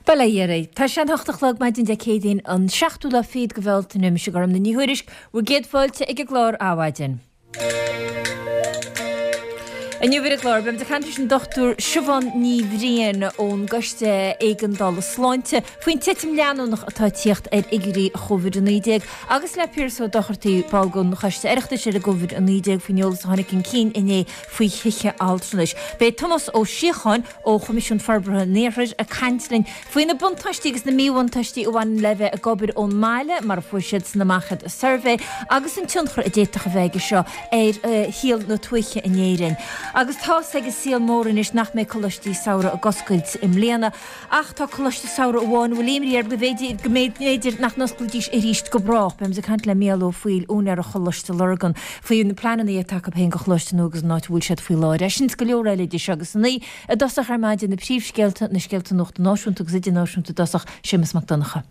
Bail ó Dhia oraibh. Tá sé an hocht a chlog maidin Dé Céadaoin an seachtú lá fichead de Bhealtaine. Mise Gormfhlaith Ní Thuairisg, bhur gcéad fáilte ag an gclár Adhmhaidin. Inniu ar an gclár, beimid ag caint leis an Dr Siobhán Ní Bhriain ón gCoiste Éigeandála Sláinte faoin titim leanúnach atá ag tíocht ar fhigiúirí Covid-19 agus le Piaras Ó Dochartaigh, ball den Choiste Oireachtais ar an gCovid-19 faoin eolas a tháinig chun cinn inné faoi thithe altranais. Beidh Tomás Ó Síocháin ó Choimisiún Forbartha an Iarthair ag caint linn faoi na buntáistí agus na míbhuntáistí a bhaineann le bheith ag obair ón mbaile, mar a fuair siadsan amach i suirbhé, agus an tionchar a d'fhéadfadh a bheith aige seo ar shaol na tuaithe in Éirinn. Agus tá's ag an saol mór anois nach mbeidh coláistí samhraidh ag oscailt i mbliana, ach tá coláiste samhraidh amháin a bhfuil imní air go mb'fhéidir go mb'fhéidir nach n-osclóidís arís go brách. Beimid ag caint le Mícheál Ó Foighil, úinéir Choláiste Lurgan, faoi na pleananna atá acu féin do choláiste nua agus an áit a bhfuil siad faoi láthair. É sin is go leor eile idir seo agus a naoi i dtosach ar maidin, na príomhscéalta, na scéalta nuachta náisiúnta agus idirnáisiúnta i dtosach, Séamus Mac Donncha.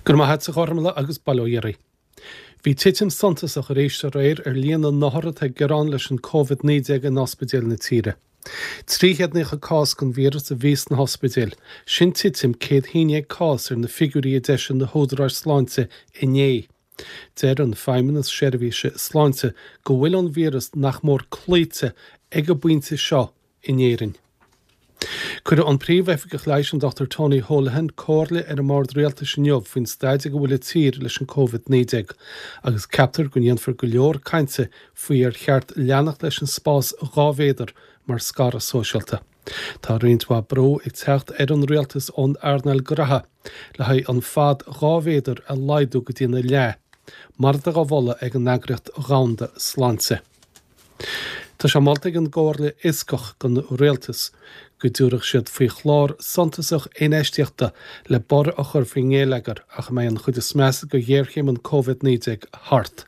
Go raibh maith agat a Ghormfhlaith agus bail ó Dhia oraibh. Bhí titim suntasach arís aréir ar líon na n-othar atá ag gearán leis an Covid-19 in ospidéil na tíre. 390 cás den víreas a bhí sna hospidéil, sin titim 111 cás ar na figiúirí a d'eisigh na húdaráis sláinte inné. Deir an Feidhmeannas Seirbhíse Sláinte go bhfuil an víreas nach mór cloíte ag an bpointe seo in Éirinn. Cuirfidh an Príomh-Oifigeach Leighis, an Dr Tony Holohan, comhairle ar an mBord Rialtais inniu faoin staid ag a bhfuil an tír leis an Covid-19 agus ceaptar go ndéanfar go leor cainte faoi ar cheart leanacht leis an spás 2 mhéadar mar scaradh sóisialta. Tá roinnt mhaith brú ag teacht ar an rialtas ón earnáil graithe le haghaidh an fad 2 mhéadar a laghdú go dtína leath, mar atá á mholadh ag an Eagraíocht Dhomhanda Sláinte. Tá sé molta ag an gComhairle Fhioscach don Rialtas go dtabharfadh siad faoi chlár suntasach infheistíochta le borradh a chur faoin ngeilleagar ach a mbeidh an chuid is measa de ghéarchéim an Covid-19 thart.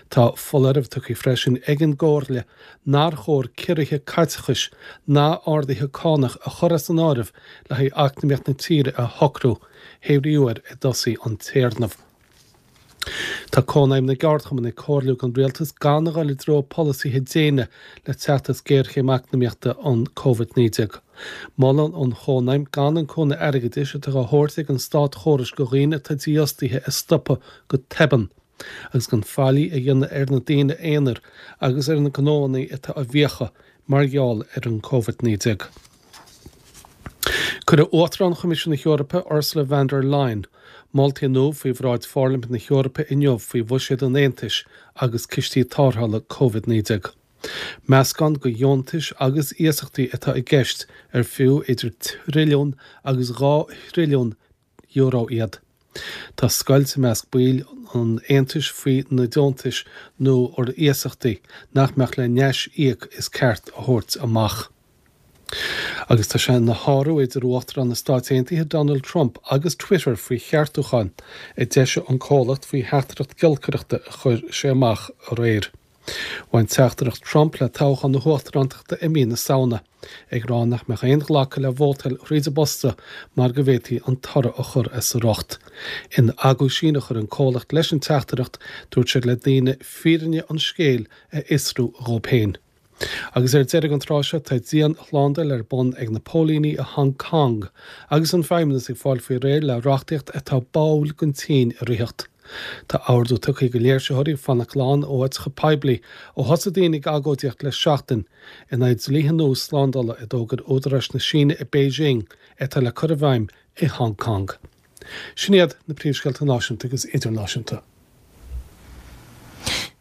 Tá foláireamh tugtha freisin ag an gComhairle nár chóir ciorruithe caiteachais ná arduithe cánach a chur as an áireamh le haghaidh eacnamaíocht na tíre a shocrú, hé brí uair a dtosóidh an téarnamh. Tá Cónaidhm na gCeardchumann ag comhairliú don Rialtas gan a dhul i dtreo polasaithe déine le teacht as géarchéim eacnamaíochta an Covid-19. Molann an Chónaidhm gan an cúnamh airgeadais atá á thabhairt ag an státchóras do dhaoine atá dífhostaithe a stopadh go tobann agus gan faillí a dhéanamh ar na daoine aonair agus ar na gnóanna atá i bhfiacha mar gheall ar an Covid-19. Cuirfidh Uachtarán Choimisiún na hEorpa, Ursula von der Leyen, moltaí nua faoi bhráid Pharlaimint na hEorpa inniu faoi bhuiséad an Aontais agus cistí tarrthála Covid-19. Meascán de dheontais agus iasachtaí atá i gceist ar fiú idir trilliún agus 2 thrilliún euro iad. Tá scoilt i measc baill an Aontais faoi na deontais nó ar iasachtaí nach mbeadh le n-aisíoc is ceart a thabhairt amach. Agus tá sé ina shárú idir Uachtarán na Stáit Aontaithe Donald Trump agus Twitter faoi cheartúcháin a d'eisigh an comhlacht faoi theachtaireacht giolcaireachta a chuir sé amach aréir. Bhain teachtaireacht Trump le toghchán na huachtarántachta i mí na Samhna, ag rá nach mbeadh aon ghlacadh le vótáil thríd an bposta mar go bhféadfaí an toradh a chur as a riocht. In aguisín a chuir an comhlacht leis an teachtaireacht, dúirt siad le daoine fírinne an scéil a fhiosrú dhóibh féin. Agus ar deireadh an tráth seo, tá dianshlándáil ar bun ag na póilíní i Hong Kong agus an feidhmeannas ag fáil faoi réir le reachtaíocht atá báúil don tSín a ritheacht. Tá ordú tugtha do léirsitheoirí fanacht glan ó áiteacha poiblí ó thosaigh daoine ag agóidíocht le seachtain in aghaidh dlíthe nua slándála a d'fhógair údaráis na Síne i Beijing atá le cur i bhfeidhm i Hong Kong. Sin iad na príomhscéalta náisiúnta agus idirnáisiúnta.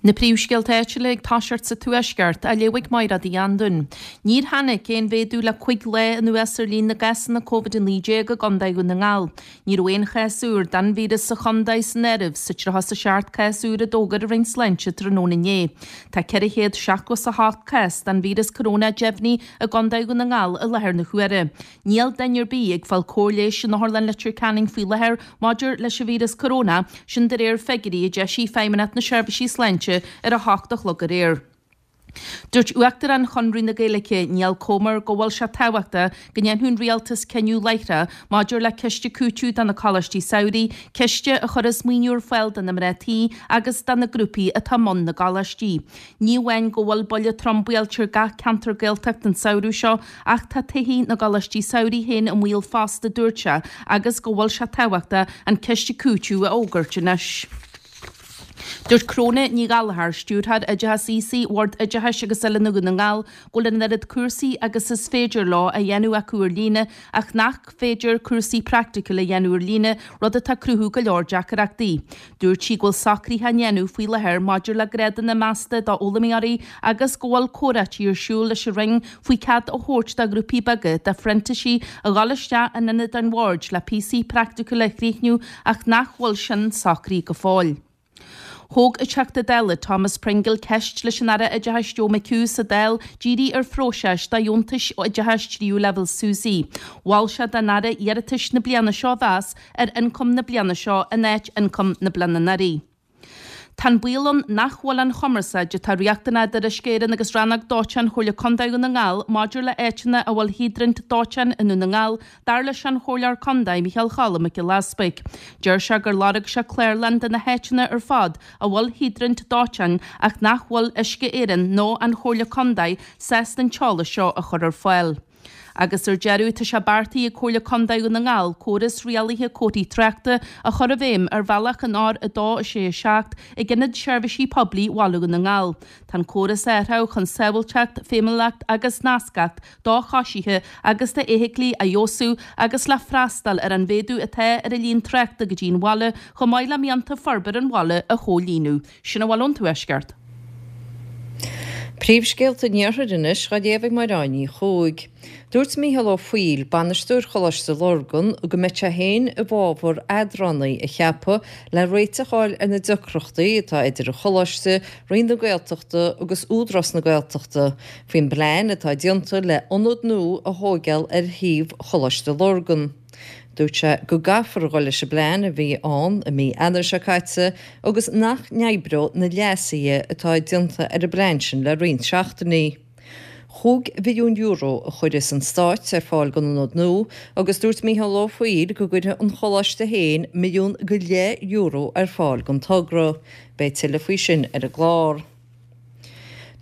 Na príomhscéalta áitiúla ag toiseacht sa Tuaisceart, á léamh ag Mairéad Uí Anluain. Níor tháinig aon mhéadú le 5 lá anuas ar líon na gcásanna Covid-19 i gContae Dhún na nGall. Ní raibh aon chás úr den víreas sa chontae san áireamh sa 37 cás úr a d'fhógair an Roinn Sláinte tráthnóna inné. Tá 478 cás den víreas corónach deimhnithe i gContae Dhún na nGall i láthair na huaire. Níl duine ar bith ag fáil cóir leighis in Otharlann Leitir Ceanainn faoi láthair maidir leis an víreas corónach, sin de réir figiúirí a d'eisigh Feidhmeannacht na Seirbhísí Sláinte ar a hocht a chlog aréir. Dúirt Uachtarán Chonradh na Gaeilge, Niall Comer, go bhfuil sé tábhachtach go ndéanfadh an Rialtas cinneadh láithreach maidir le ciste cúitimh do na coláistí samhraidh, ciste a chuirfeas maoiniú ar fáil do na mná tí agus do na grúpaí atá i mbun na gcoláistí. Ní amháin go bhfuil buille trom buailte ar gach ceantar Gaeltachta an samhradh seo ach tá todhchaí na gcoláistí samhraidh féin i mbaol fosta, dúirt sé, agus go bhfuil sé tábhachtach an ciste cúitimh a fhógairt anois. Dúirt Cróna Ní Ghallchóir, Stiúrthóir Oideachais Aosaigh Bhord Oideachais agus Oiliúna Dhún na nGall, go bhfuil an oiread cúrsaí agus is féidir leo á dhéanamh acu ar líne ach nach féidir cúrsaí praiticiúla a dhéanamh ar líne, rud atá ag cruthú go leor deacaireachtaí. Dúirt sí go bhfuil socruithe á ndéanamh faoi láthair maidir le grádanna measta d'fhoghlaimeoirí agus go bhfuil comhráití ar siúl leis an Roinn faoi cead a thabhairt do ghrúpaí beaga de phrintísigh a dhul isteach in ionad an Bhoird le píosaí praiticiúla a chríochnú ach nach bhfuil sin socraithe go fóill. Thóg an Teachta Dála Thomas Pringle ceist leis an Aire Oideachais Joe McHugh sa Dáil dírithe ar phróiseas do dheontais oideachais tríú leibhéal SUSI. Mhol sé don Aire iarratais na bliana seo a mheas ar ioncam na bliana seo in áit ioncam na bliana anuraidh. Tá an baol ann nach bhfuil an chumarsáid atá riachtanach idir Uisce Éireann agus Rannóg Dóiteáin Chomhairle Contae Dhún na nGall maidir le áiteanna a bhfuil hiodraint dóiteáin i nDún na nGall, dar leis an Chomhairleoir Contae Micheál Choilm Mac Giolla Easpaig. Deir sé gur lorg sé clárlann de na háiteanna ar fad a bhfuil hiodraint dóiteáin ach nach bhfuil Uisce Éireann nó an Chomhairle Contae sásta an t-eolas seo a chur ar fáil. Agus ar deireadh, tá sé beartaithe ag Comhairle Contae Dhún na nGall córas rialaithe comharthaí tráchta a chur i bhfeidhm ar bhealach an R2 6 7 ag Ionad Seirbhísí Poiblí Bhaile Dhún na nGall. Tá an córas á athrú chun sábháilteacht, feidhmiúlacht agus nascacht do choisithe agus do fheithiclí a fheabhsú agus le freastal ar an mhéadú atá ar an líon tráchta go dtí an bhaile chomh maith le mianta forbair an bhaile a chomhlíonadh. Sin a bhfuil ón Tuaisceart. Príomhscéalta an Iarthair anois á léamh ag Máire Ní Chuaig. Dúirt Mícheál Ó Foighil, bainisteoir Choláiste Lurgan, go mbeidh sé féin i bhfabhar eadránaí a cheapadh le réiteach a fháil ar na deacrachtaí atá idir an Choláiste, Roinn na Gaeltachta agus Údarás na Gaeltachta faoin bplean atá déanta le ionad nua a thóigeáil ar shuíomh Choláiste Lurgan. Dúirt sé go gcaithfear a dhul leis an bplean a bhí ann i mí Eanáir seo caite agus nach n-oibreodh na leasuithe atá déanta ar an bplean sin le roinnt seachtainí. €5 mhilliún a chuirfeas an Stát ar fáil don ionad nua agus dúirt Mícheál Ó Foighil go gcuirfidh an Choláiste féin €1.5 milliún ar fáil don togra. Beidh tuilleadh faoi sin ar an gclár.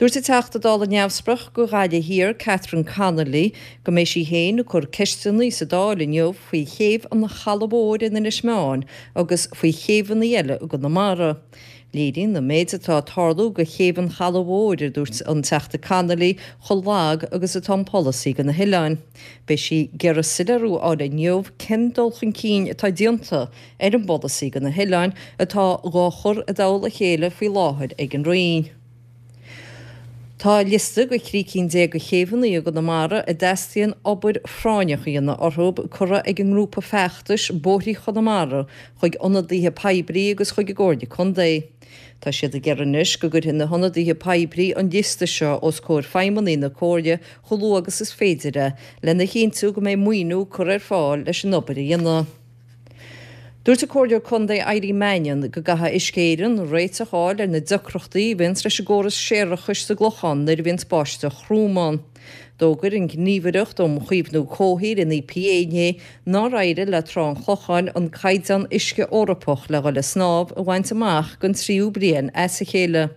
Dúirt an Teachta Dála Neamhspleách do Ghaillimh Thiar, Catherine Connolly, go mbeidh sí féin ag cur ceisteanna sa Dáil inniu faoi chéibh an Chalaidh Mhóir in Inis Meáin agus faoi chéibheanna eile i gConamara. Léiríonn an méid atá ag tarlú do chéibh an Chalaidh Mhóir, a dúirt an Teachta Connolly, chomh lag agus atá an polasaí do na hoileáin. Beidh sí ag iarraidh soiléiriú a fháil inniu cén dul chun cinn atá déanta ar an bpolasaí do na hoileáin atá dhá chur i dtoll a chéile faoi láthair ag an Roinn. Tá liosta de thrí cinn de chéibheanna i gConamara a dteastaíonn obair phráinneach a dhéanamh orthu curtha ag an ngrúpa feachtais Bóithrí Chonamara chuig ionadaithe poiblí agus chuig an gComhairle Contae. Tá siad ag iarraidh anois go gcuirfidh na hionadaithe poiblí an liosta seo os comhair feidhmeannaigh na Comhairle chomh luath agus is féidir é lena chinntiú go mbeidh maoiniú curtha ar fáil leis an obair a dhéanamh. Dúirt an Comhairleoir Contae Eileen Mannion go gcaithfidh Uisce Éireann réiteach a fháil ar na deacrachtaí a bhíonns leis an gcóras séarachais sa gClochán nuair a bhíonns báisteach throm ann. D'fhógair an Ghníomhaireacht um Chaomhnú Comhshaoil, an EPA, inné nár éirigh le Trá an Chlocháin an caighdeán uisce Eorpach le dhul ag snámh a bhaint amach don tríú bliain as a chéile.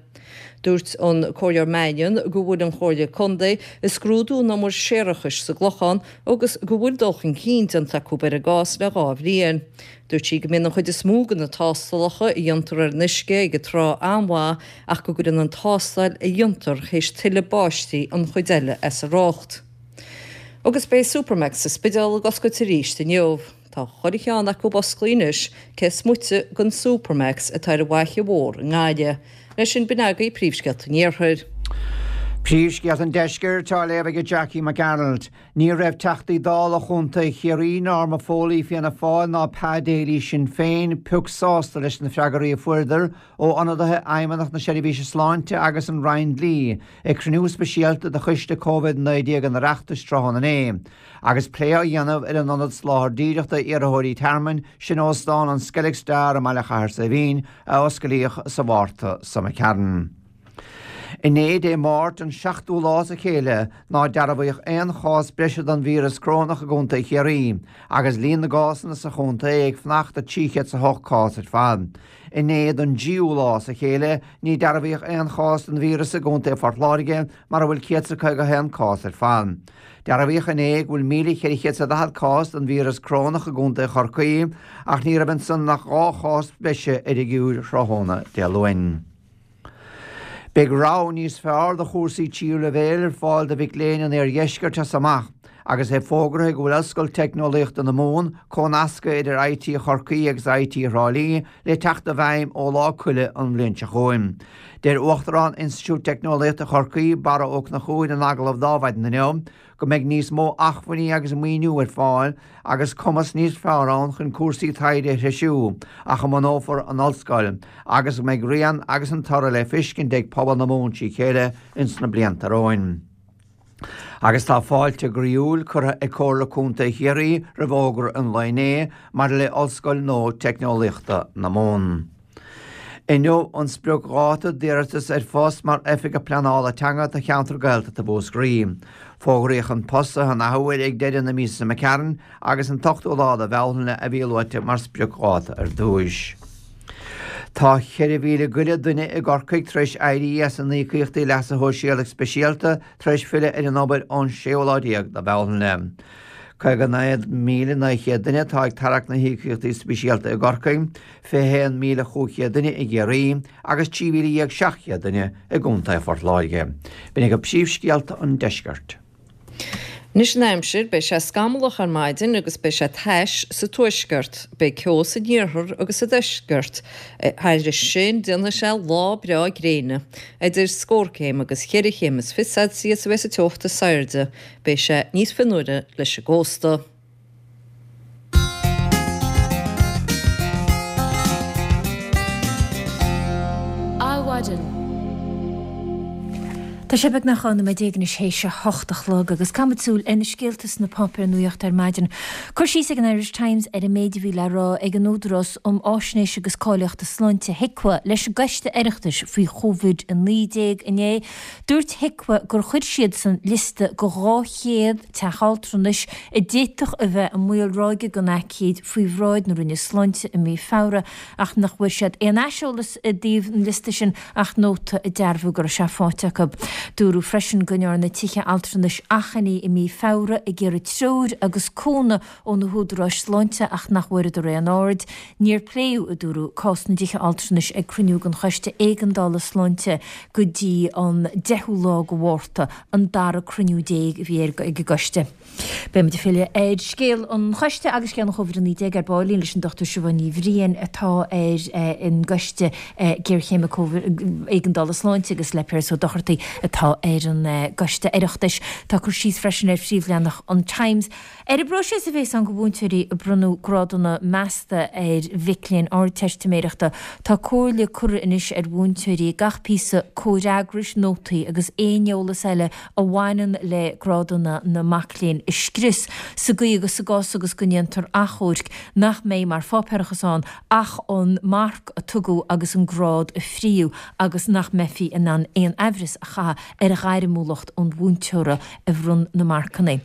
Dúirt an Comhairleoir Mannion go bhfuil an Chomhairle Contae ag scrúdú an umair séarachais sa gClochán agus go bhfuil dul chun cinn déanta acu ar an gcás le 2 bhliain. Dúirt sí go mbíonn an chuid is mó de na tástálacha a dhéantar ar an uisce ag an trá an-mhaith ach go gcuireann an tástáil a dhéantar théis tuilleadh báistí an chuid eile as a riocht. Agus beidh Supermacs sa Spidéal ag oscailt arís inniu. Tá chuile cheann acu osclaithe anois, cé is moite den Supermacs atá ar an bhFaiche Mhór i nGaillimh. Leis sin, b'in agaibh príomhscéalta an Iarthair. Príomhscéalta an Deiscirt á léamh ag Jackie Mac Gearailt. Ní raibh Teachtaí Dála Chontae Chiarraí, Norma Foley Fianna Fáil ná Pa Daly Sinn Féin pioc sásta leis na freagraí a fuaireadar ó ionadaithe Fheidhmeannacht na Seirbhíse Sláinte agus an Roinn Dlí ag cruinniú speisialta de Choiste Covid-19 an Oireachtais tráthnóna inné. Agus plé á dhéanamh ar an Ionad Soláthair Díreach d'iarrthóirí tearmainn, sin Óstán an Skellig Star i mBaile Chathair Saidhbhín, a osclaíodh sa Mhárta seo imigh tharainn. Inné, Dé Máirt, an seachtú lá as a chéile nár dearbhaíodh aon chás breise den víreas corónach i gContae Chiarraí, agus líon na gcásanna sa chontae ag fanacht ag 308 cás ar fad. Inné, don dtríú lá as a chéile, ní dearbhaíodh aon chás den víreas i gContae Phort Láirge, mar a bhfuil 151 cás ar fad. Dearbhaíodh inné go bhfuil 1,440 cás den víreas corónach i gContae Chorcaí, ach ní raibh ansan ach 2 chás breise ar an bhfigiúr tráthnóna Dé Luain. Beidh rogha níos fearr de chúrsaí tríú leibhéal ar fáil do mhic léinn an iardheiscirt as amach agus é fógartha go bhfuil Ollscoil Teicneolaíochta na Mumhan, comhnasctha idir IT Chorcaí agus IT Thrá Lí, le teacht i bhfeidhm ó Lá Coille an bhliain seo chugainn. Deir Uachtarán Institiúid Teicneolaíochta Chorcaí, Barra Ó Conchúir in agallamh d'Adhmhaidin inniu go mbeidh níos mó acmhainní agus maoiniú ar fáil agus cumas níos fearr ann chun cúrsaí taighde a threisiú ach a mbunófar an ollscoil agus go mbeidh rian agus an toradh le feiscint ag pobal na Mumhan trí chéile ins na blianta romhainn. Agus tá fáilte groíúil curtha ag Comhairle Contae Chiarraí roimh fhógra an lae inné maidir le Ollscoil nua Teicneolaíochta na Mumhan. Inniu an spriocdháta d'iarratais ar phost mar Oifigeach Pleanála Teanga do cheantar Gaeltachta Mhúscraí. Fógraíodh an post an athuair ag deireadh na míosa seo imigh tharainn agus an t-ochtú lá de Bhealtaine a bhí luaite mar spriocdháta ar dtúis. Tá 4,000 go leith duine i gCorcaigh tar éis éirí as a n-íocaíochtaí leasa shóisialaigh speisialta tar éis filleadh ar an obair ón séú lá déag de Bhealtaine. 59,900 duine atá ag tarrac na híocaíochtaí speisialta i gCorcaigh, 21,500 duine i gCiarraí agus 13,700 duine i gContae Phort Láirge. B'in agaibh príomhscéalta an deiscirt. Anois an aimsir, beidh sé scamallach ar maidin agus beidh sé tais sa tuaisceart. Beidh ceo san iarthar agus sa deisceart. Thairis sin, déanfaidh sé lá breá gréine. Idir scór céim agus cheithre chéim is fiche Celsius a bheas an teocht is airde. Beidh sé níos fionnuaire leis an gcósta. Adhmhaidin. Tá sé beagnach 12 nóiméad anois théis a hocht a chlog agus caithfimid súil ar na scéalta sna páipéir nuachta ar maidin. Cur síos ag an Irish Times ar an méid a bhí le rá ag an Údarás um Fháisnéis agus Cáilíochta Sláinte, HIQA, leis an gCoiste Oireachtais faoi Covid-19 inné. Dúirt HIQA gur chuir siadsan liosta de 200 teach altranais a d'fhéadfadh a bheith i mbaol ráige den aicíd faoi bhráid na Roinne Sláinte i mí Feabhra ach nach bhfuair siad aon aiseolas i dtaobh an liosta sin ach nóta ag dearbhú go raibh sé faighte acu. Dúradh freisin go ndearna tithe altranais achainí i mí Feabhra ag iarraidh treoir agus cúnamh ó na húdaráis sláinte ach nach bhfuaireadar aon aird. Níor pléadh, a dúradh, cás na dtithe altranais ag cruinniú den Choiste Éigeandála Sláinte go dtí an deichiú lá de Mhárta, an dara cruinniú a bhí ag an gcoiste. Beidh muid ag filleadh ar scéal an choiste agus scéal an Chóvid-19 ar baillín leis an Dr Siobhán Ní Bhriain atá ar an gcoiste géarchéime éigeandála sláinte agus le Piaras Ó Dochartaigh atá ar an gcoiste Oireachtais. Tá cur síos freisin ar phríomhleathanach an Times. Ar an bpróiseas a bhéas ann do mhúinteoirí ag bronnadh grádanna measta ar mhic léinn Ardteistiméireachta, tá comhairle curtha anois ar mhúinteoirí gach píosa comhfhreagrais, nótaí agus aon eolas eile a bhaineann le grádanna na mac léinn a scrios, sa gcaoi agus sa gcás agus go ndéantar achomhairc nach mbeidh mar pháipéarachas ann ach an marc a tugadh agus an grád a fríodh agus nach mbeifí in ann aon aimhreas a chaitheamh ar ghairmiúlacht an mhúinteora a bhronn na marcanna.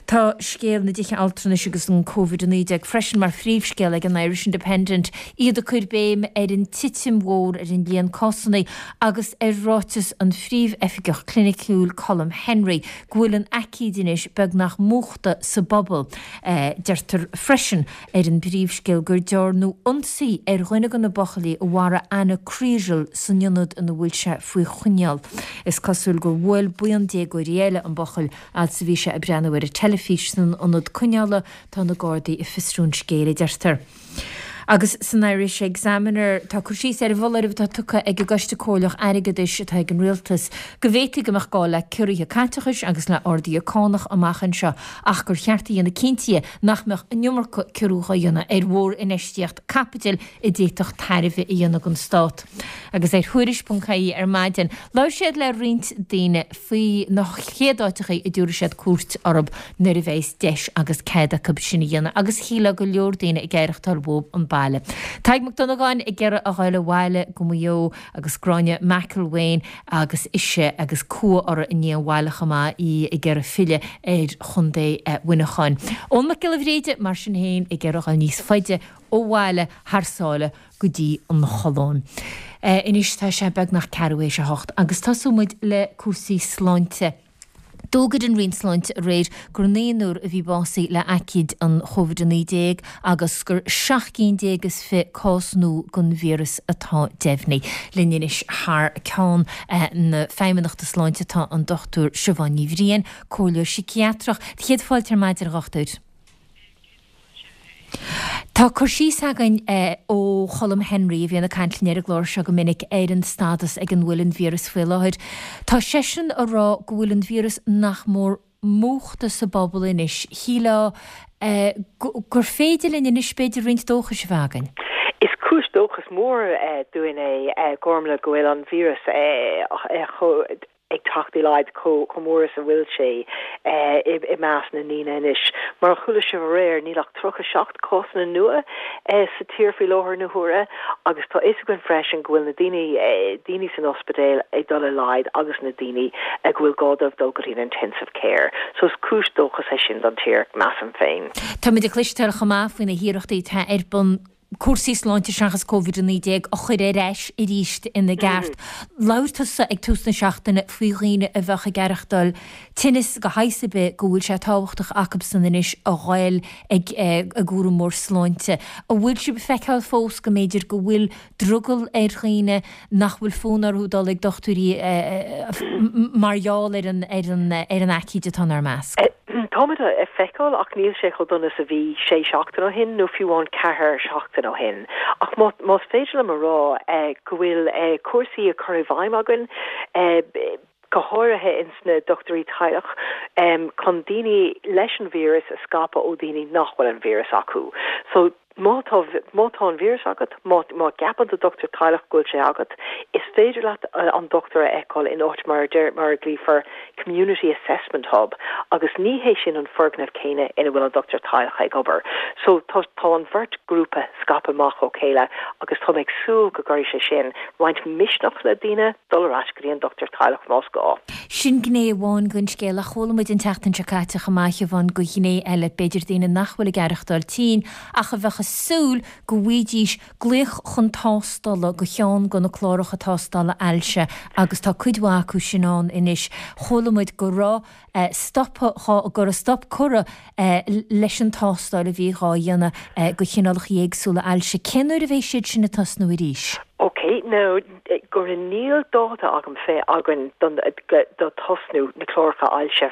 Tá scéal na dtithe altranais agus an Covid-19 freisin mar phríomhscéal ag an Irish Independent, iad ag cur béim ar an titim mhór ar an líon cásanna agus ar ráiteas an Phríomh-Oifigeach Cliniciúil Colm Henry go bhfuil an aicíd anois beagnach múchta sa bpobal. Deirtear freisin ar an bpríomhscéal gur dearnadh ionsaí ar dhuine de na buachaillí a mharaigh Anna Kriégel san ionad ina bhfuil sé faoi choinneáil. Is cosúil gur bhuail buíon déagóirí eile an buachaill fhad is a bhí sé ag breathnú ar an teilifís san ionad coinneála. Tá na Gardaí ag fiosrú an scéil, a deirtear. Agus san Irish Examiner tá cur síos ar an bhfoláireamh atá tugtha ag an gCoiste Comhairleach Airgeadais atá ag an Rialtas go bhféadfaí go mbeadh gá le ciorruithe caiteachais agus le arduithe cánach amach anseo ach gur cheart a dhéanamh cinnte nach mbeadh an iomarca ciorrú á dhéanamh ar mhórinfheistíocht caipitil a d'fhéadfadh tairbhe a dhéanamh don stát. Agus ar Thuairisc.ie ar maidin, labhair siad le roinnt daoine faoi na chéad áiteachaí a dtabharfaidh siad cuairt orthu nuair a bheas deis agus cead acu sin a dhéanamh agus shílfeá go leor daoine ag aireachtáil uathu an. baile. Tadhg Mac Dhonnagáin ag iarraidh a ghoil abhaile go Maigh Eo agus Gráinne McElwain agus ise agus cumha uirthi i ndiaidh an bhaile chomh maith, í ag iarraidh filleadh ar chontae Mhuineacháin. Eoin Mac Giolla Bhréide mar sin féin ag iarraidh a ghoil níos faide ó bhaile thar sáile go dtí an Cholóim. Anois tá sé beagnach ceathrú théis a hocht agus tosóidh muid le cúrsaí sláinte. D'fhógair an Roinn Sláinte aréir gur naonúr a bhí básaithe le haicíd an Covid-19 agus gur 17 cinn is 20 cás nua den víreas atá deimhnithe. Linn anois thar ceann na Feidhmeannachta Sláinte tá an Dr Siobhán Ní Bhriain, Comhairleoir Síciatrach. Céad fáilte ar maidin, a Dhochtúir. Tá cur síos againn ó Cholm Henry, a bhíonn ag caint linn ar an gclár seo go minic, ar an stádas ag an bhfuil an víreas faoi láthair. Tá seisean a rá go bhfuil an víreas nach mór múchta sa bpobal anois. Shílfeá gur féidir linn anois b'fhéidir roinnt dóchais a bheith againn. Is cúis dóchas mór dúinn é, Gormlaith, go bhfuil an víreas chomh. ag teacht i laghad chomh mór is a bhfuil sé i measc na ndaoine anois. Mar a chuala sibh aréir, níl ach 37 cásanna nua sa tír faoi láthair na huaire agus tá fhios againn freisin go bhfuil na daoine daoine san ospidéal ag dul i laghad agus na daoine go bhfuil gá dóibh dul go dtí an intensive care. So is cúis dóchas é sin don tír, measaim féin. Táimid ag cloisteáil chomh maith faoi na hiarrachtaí atá ar bun cúrsaí sláinte seachas Covid-19 a chur ar ais arís ina gceart. Labhair tusa ag tús na seachtaine faoi dhaoine a bheadh ag aireachtáil tinneas de shaghas ar bith go bhfuil sé tábhachtach acubsan anois a ghoil ag a gcúramóir sláinte. An bhfuil sibh ag feiceáil fós go mb'fhéidir go bhfuil drogall ar dhaoine nach bhfuil fonn orthu dul ag dochtúirí mar gheall ar an ar an ar an aicíd atá inár measc. Táimid ag feiceáil ach níl sé chomh dona is a bhí sé seachtain ó shin nó fiú amháin ceathair seachtain ó shin. Ach má más féidir liom a rá go bhfuil cúrsaí á cur i bhfeidhm againn, go háirithe ins na dochtúirí teaghlach, chun daoine leis an víreas a scaipeadh ó daoine nach bhfuil an víreas acu. So má tá má tá an víreas agat, má má gceapann do dochtúir teaghlach go bhfuil sé agat, is féidir leat an dochtúir a fheiceáil in áit mar a deir mar a ghlaofar Community Assessment Hub agus ní hé sin an foirgneamh céanna ina bhfuil an dochtúir teaghlach ag obair. So tá tá an bheirt grúpa scaipthe amach ó chéile agus tá mé ag súil go gcuirfidh sé sin roinnt misneach le daoine dul ar ais go dtí an dochtúir teaghlach más gá. Sin gné amháin den scéal, ach chuala muid an tseachtain seo caite chomh maith, a Shiobhán, de ghné eile, b'fhéidir daoine nach bhfuil ag aireachtáil tinn ach a bheadh ag súil go bhfaighidís glaoch chun tástála do cheann de na cláracha tástála ailse agus tá cuid mhaith acu sin ann anois. Chuala muid go raibh stop dhá go raibh stop curtha leis an tástáil a bhí dhá dhéanamh do chineálacha éagsúla ailse. Cén uair a bheidh siad sin ag tosnú arís? Ok, now go raibh níl dáta agam fé againn don do tosnú na cláracha ailse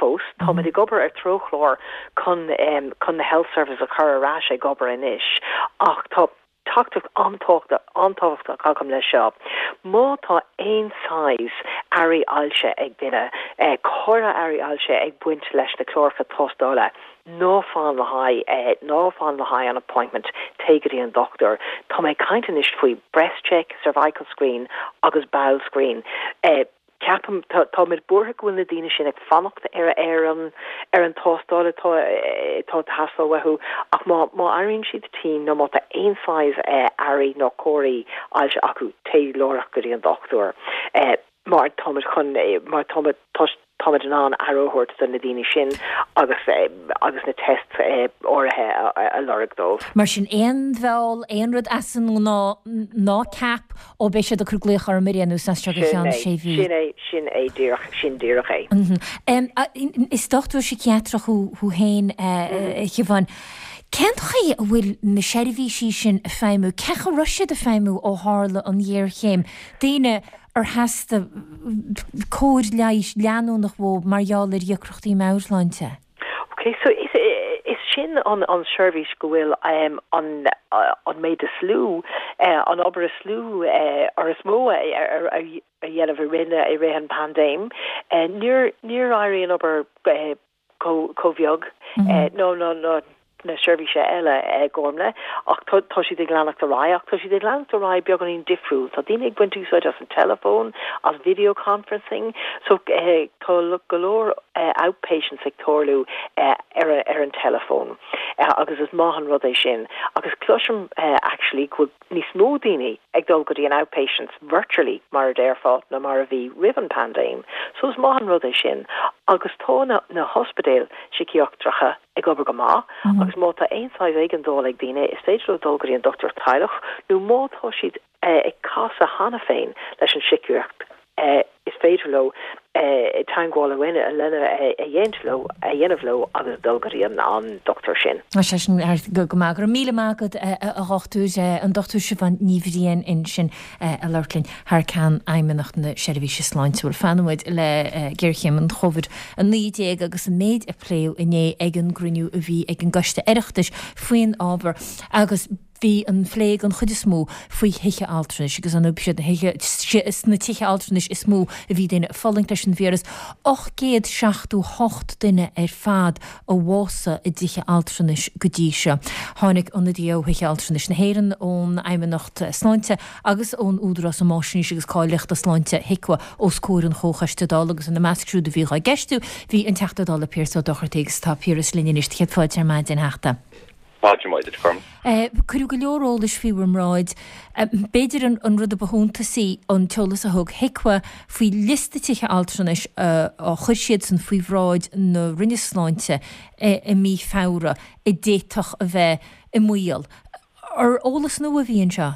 fós. Táimid ag obair ar treochlár chun chun na health service a chur ar ais ag obair anois ach tá Teachtaireacht an-tábhachtach agam leis seo. Má tá aon saghas airí ailse ag duine, go háirithe airí ailse ag baint leis na cláracha tástála, ná fan le haghaidh, ná fan le haghaidh an appointment, téigh go dtí an dochtúir. Tá mé ag caint anois faoi breast check, cervical screen agus bowel screen. Ceapaim, táimid buartha go bhfuil na daoine sin ag fanacht ar ar an ar an tástáil atá atá ag teastáil uathu ach má má airíonn siad tinn nó má tá aon saghas airí nó comharthaí ailse acu, téigh láithreach go dtí an dochtúir mar táimid chun mar táimid táimid in ann aire a thabhairt do na daoine sin agus agus na tests áirithe a lorg dóibh. Mar sin, aon bheal, aon rud as an ngnáth, ná ceap Ó beidh siad ag cur glaoch orm ar aon nós as seo go ceann sé mhí. Sin é, sin é díreach, sin díreach é. Is dochtúir síciatrach thú féin, a Shiobháin. Cén chaoi a bhfuil na seirbhísí sin ag feidhmiú? Cén chaoi a raibh siad ag feidhmiú ó tharla an ghéarchéim? Daoine ar theastaigh cóir leighis leanúnach uathu mar gheall ar dheacrachtaí meabhairshláinte? Ok, so is is sin an an seirbhís go bhfuil an an méid is lú, an obair is lú or is mó a a dhéanamh i rith na i rith an paindéim. Níor níor éirigh an obair chomh chomh bheag nó nó nó na seirbhíse eile, a Ghormlaith, ach tá tá siad ag leanacht ar aghaidh, ach tá siad ag leanacht ar aghaidh beagáinín difriúil. Tá daoine ag baint úsáid as an teileafón, as video conferencing, so tá go leor. outpatients ag tarlú ar ar an teileafón agus is maith an rud é sin agus cloisim actually go bhfuil níos mó daoine ag dul go dtí an outpatients virtually mar a déarfá ná mar a bhí roimh an paindéim. So is maith an rud é sin agus tá na na hospidéil síciatracha ag obair go maith agus má tá aon saghas éigeandáil ag daoine is féidir leo dul go dtí an dochtúir teaghlach nó má tá siad ag casadh cheana féin leis an síciatracht is féidir leo teagmháil a lena a dhéanamh leo a dhéanamh leo agus dul go dtí an dochtúir sin. Tá sé sin go maith. Go raibh míle maith agat a dhochtúir, an Dochtúir Siobhán Ní Bhriain ansin ag labhairt linn thar ceann Fheidhmeannacht na Seirbhíse Sláinte. Bhuel, fanfaidh muid le géarchéim an Covid-19 agus an méid a pléadh inné ag an gcruinniú a bhí ag an gCoiste Oireachtais faoin ábhar agus Bhí an phlé den chuid is mó faoi thithe altranais agus an siad na thithe sna tithe altranais is mó a bhí daoine ag fulaingt leis an víreas. 878 duine ar fad a bhásaigh i dtithe altranais go dtí seo. Tháinig ionadaithe ó thithe altranais na hÉireann, ón Fheidhmeannacht Sláinte agus ón Údarás um Fháisnéis agus Cáilíochta Sláinte, HIQA, os comhair an Chomhchoiste Dála agus ina measc siúd a bhí á gceistiú bhí an Teachta Dála Pearse Ó Dochartaigh agus tá Piaras linn anois. Céad fáilte ar maidin, a Theachta. Maidin mhaith duit, Cormac. Cuireadh go leor eolais faoi bhur mbráid. B'fhéidir an rud a ba shuntasaí an t-eolas a thug HIQA faoi liosta tithe altranais a chuir siadsan faoi bhráid na Roinne Sláinte i mí Feabhra a d'fhéadfadh a bheith i mbaol. Ar eolas nua a bhí anseo?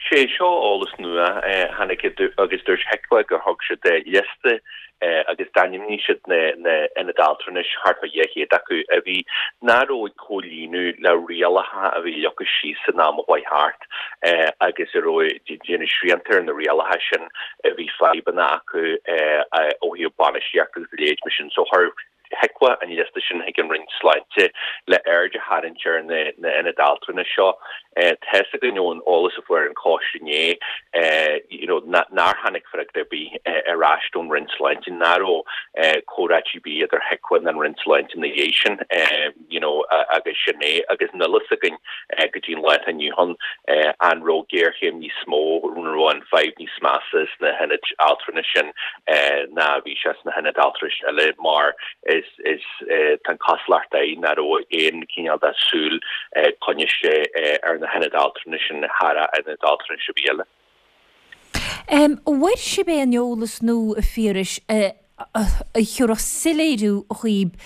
Sé seo eolas nua. Tháinig agus dúirt HIQA gur thug siad liosta agus d'ainmnigh siad na hionaid altranais, thart fá 200 acu, a bhí nach raibh ag comhlíonadh le rialacha a bhí leagtha síos san am a chuaigh thart agus a raibh ag déanamh srianta ar na rialacha sin, a bhí fadhbanna acu ó thaobh bainistíochta agus a leithéid mar sin. So chuir HIQA an liosta sin chuig an Roinn Sláinte le aird a tharraingt ar na hionaid altranais seo. Tá fhios againn ón eolas a fuair an coiste inné you know nár tháinig freagra ar bith ar ais ón Roinn Sláinte, nach raibh comhráití ar bith idir HIQA ná an Roinn Sláinte ina dhiaidh sin you know agus sin é. Agus níl fhios againn go dtí an lá atá inniu ann an raibh géarchéim níos mó, an raibh an fadhb níos measa sna hionaid altranais sin ná a bhí sé sna hionaid altranais eile mar is is tá an chosúlacht air nach raibh aon chineál de súil coinnithe ar na hionaid altranais sin thar ionaid altranais ar bith eile. An bhfuair sibh aon eolas nua, a Phiarais, a thabharfadh soiléiriú dhaoib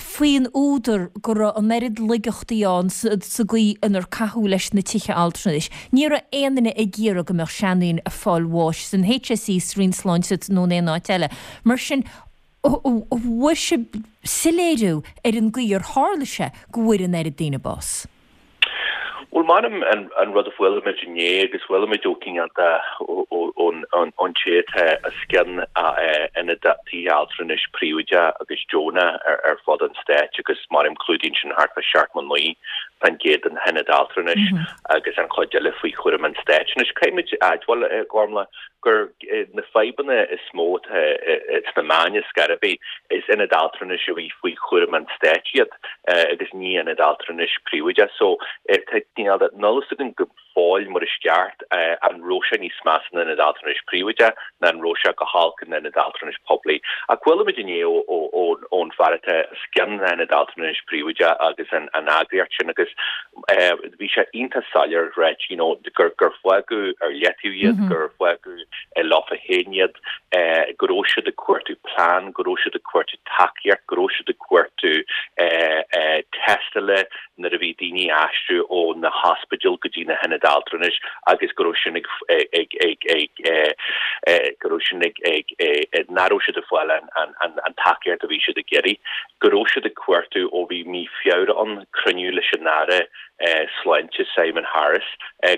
faoin údar go raibh an oiread laigeachtaí ann sa gcaoi inar caitheadh leis na tithe altranais. Ní raibh aon duine ag iarraidh go mbeadh seandaoine ag fáil bháis san HSE, sa Roinn Sláinte nó in aon áit eile. Mar sin, an bhfuair sibh soiléiriú ar an gcaoi ar tharla sé go bhfuair an oiread daoine bás? Bhuel, m'anam, an rud a chuala muid inné, agus chuala muid ó cineál de ón té atá os cionn ionaid tithe altranais príobháideach agus deonach ar fud an stáit, agus m'anam, clúdaíonn sin thart fá 79% de na hionaid altranais agus an chuid eile faoi chúram an stáit. Anois, caithfidh muid a admháil, a Ghormlaith, gur na fadhbanna is mó atá sna meáin ar scor ar bith, is ionaid altranais a bhí faoi chúram an stáit iad agus ní ionaid altranais príobháideach. So tá cineál de, níl fhios againn go fóill mar is ceart an raibh sé níos measa in ionaid altranais príobháideach ná an raibh sé go holc in ionaid altranais poiblí. Ach chuala muid inné ón fear atá os cionn na hionaid altranais príobháideach agus an eagraíocht sin agus Bhí sé iontach soiléir ráit you know gur gur fágadh ar leataobh iad, gur fágadh leofa féin iad, go raibh siad ag cuartú plean, go raibh siad ag cuartú tacaíocht, go raibh siad ag cuartú tástála nuair a bhí daoine ag aistriú ó na hospidéil go dtí na hionaid altranais agus go raibh sin ag ag ag ag go raibh sin ag ag nach raibh siad ag fáil an an an tacaíocht a bhí siad ag iarraidh. Go raibh siad ag cuartú ó bhí mí Feabhra ann, cruinniú leis an Aire Sláinte Simon Harris,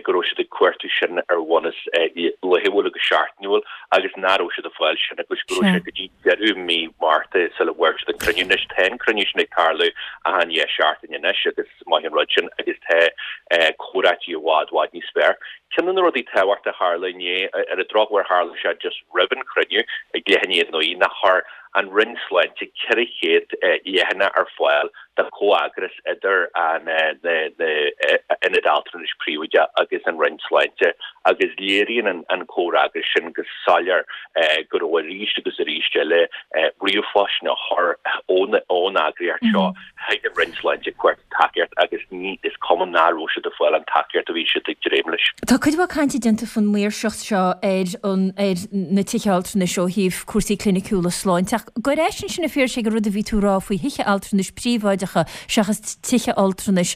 go raibh siad ag cuartú sin ar bhunús laethúil agus seachtainiúil agus nach raibh siad ag fáil sin agus go raibh sé go dtí deireadh mí Márta sula bhfuair siad an cruinniú. Anois tá an cruinniú sin ag tarlú achan 2 seachtain anois agus is maith an rud sin agus tá comhráití i bhfad, bhfad níos fearr. Ceann de na rudaí tábhachtacha a tharla inné, ar an drochuair tharla sé just roimh an chruinniú ag leath i ndiaidh 9, nach chuir. an Roinn Sláinte 400 leathanach ar fáil de chomhfheagras idir an na hionaid altranais príobháideach agus an Roinn Sláinte agus léiríonn an comhfhreagras sin go soiléir go raibh arís agus arís eile ríomhphoist á chur ón eagraíocht seo chuig an Roinn Sláinte ag cuartú tacaíocht agus ní is cuma nach raibh siad ag fáil an tacaíocht a bhí siad ag dréim leis. Tá cuid mhaith cainte déanta faoin maoirseacht seo ar an ar na tithe altranais ó thaobh cúrsaí cliniciúla sláinte ach gabh ar ais ansin a Phiarais ag an rud a bhí tú a rá faoi thithe altranais príobháideacha seachas tithe altranais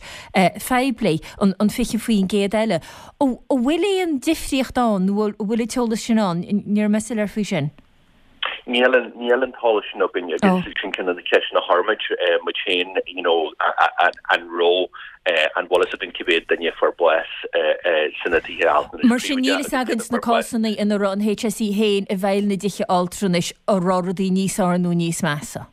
phoiblí, an 20% eile. An bhfuil aon difríocht ann nó an bhfuil an t-eolas sin ann? Ní raibh mé soiléir faoi sin. Níl an, níl an t-eolas sin againn agus sin ceann de na ceisteanna a chuir muid, muid féin, you know, an raibh, an bhfuil fhios againn cé mhéad duine a fuair bás sna tithe altranais Mar sin, níl fhios againn sna cásanna ina raibh an HSE féin i bhfeighil na dtithe altranais an raibh rudaí níos fearr nó níos measa.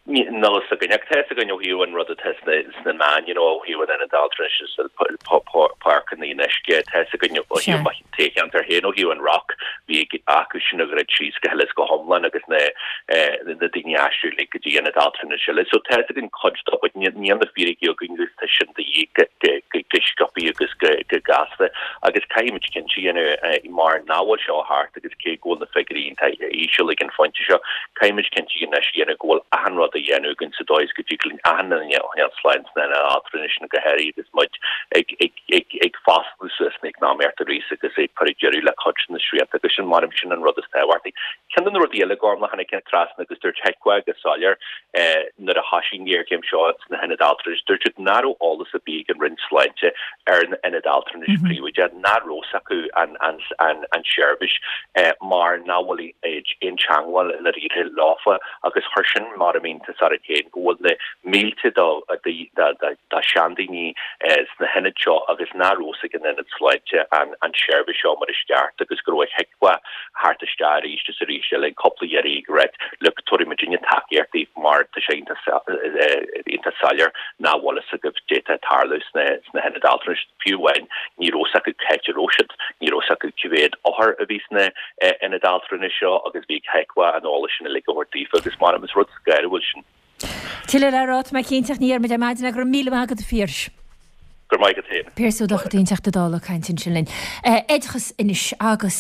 Níl fhios againn, ach tá fhios againn ó thaobh an rud atá sna meáin, you know, ó thaobh an Ionad Altranais is Páirc an Fhionnuisce, tá fhios againn ó thaobh mo thoghcheantar féin, ó thaobh an Rock, bhí acu sin a dhruid síos go huile is go hiomlán agus na daoine a aistriú uilig go dtí ionad altranais eile. So tá fhios againn cuid de but níl na fíricí againn agus tá sin de dhíth go sciobtha agus go gasta agus caithfidh muid cinnte a dhéanamh mar nach bhfuil seo thart agus cé go bhfuil na figiúirí iontach íseal ag an phointe seo, Caithfidh muid cinnte anois a dhéanamh go bhfuil achan rud á dhéanamh againn sa dóigh is go dtig linn achan duine a choinneáil slán sna hionaid altranais sin go háirithe agus muid ag ag ag foscladh suas na eacnamaíocht arís agus ag cur deireadh le cuid de na srianta agus sin mar sin an rud is tábhachtaí. Ceann de na rudaí eile Gormlaith a tháinig trasna agus dúirt HIQA go soiléir nuair a thosaigh an ghéarchéim seo sna hionaid altranais, dúirt siad nach raibh eolas ar bith ag an Roinn Sláinte ar na hionaid altranais príobháideach, nach raibh fhios acu an an an tseirbhís mar nach bhfuil aon teangmháil i ndáiríre leofa agus chuir sin mar a mbíonn iontas orainn féin go bhfuil na mílte de sheandaoine sna hionaid seo agus nach raibh fhios ag an ionad sláinte an tseirbhís seo mar is ceart agus go raibh HIQA thart isteach arís is arís eile cúpla iarraidh ag ráit look tabharfaidh muidinne tacaíocht daoibh mar tá sé iontach soiléir nach bhfuil fhios agaibh caidé atá ag tarlú sna hionaid altranais. Fiú amháin ní raibh fhios acu cá háit a raibh siad, ní raibh fhios acu cé mhéad othar a bhí sna hionaid altranais seo agus bhí HIQA an eolas sin uilig a thabhairt daofa agus mar is rud scanrúil sin. Tuilleadh le rá, tá mé cinnte, ach ní dhéarfaidh muid ar maidin é. Go raibh míle maith agat, a Phiarais. Go raibh maith agat féin. Piaras Ó Dochartaigh, an Teachta Dála, ag caint ansin linn. Oideachas anois agus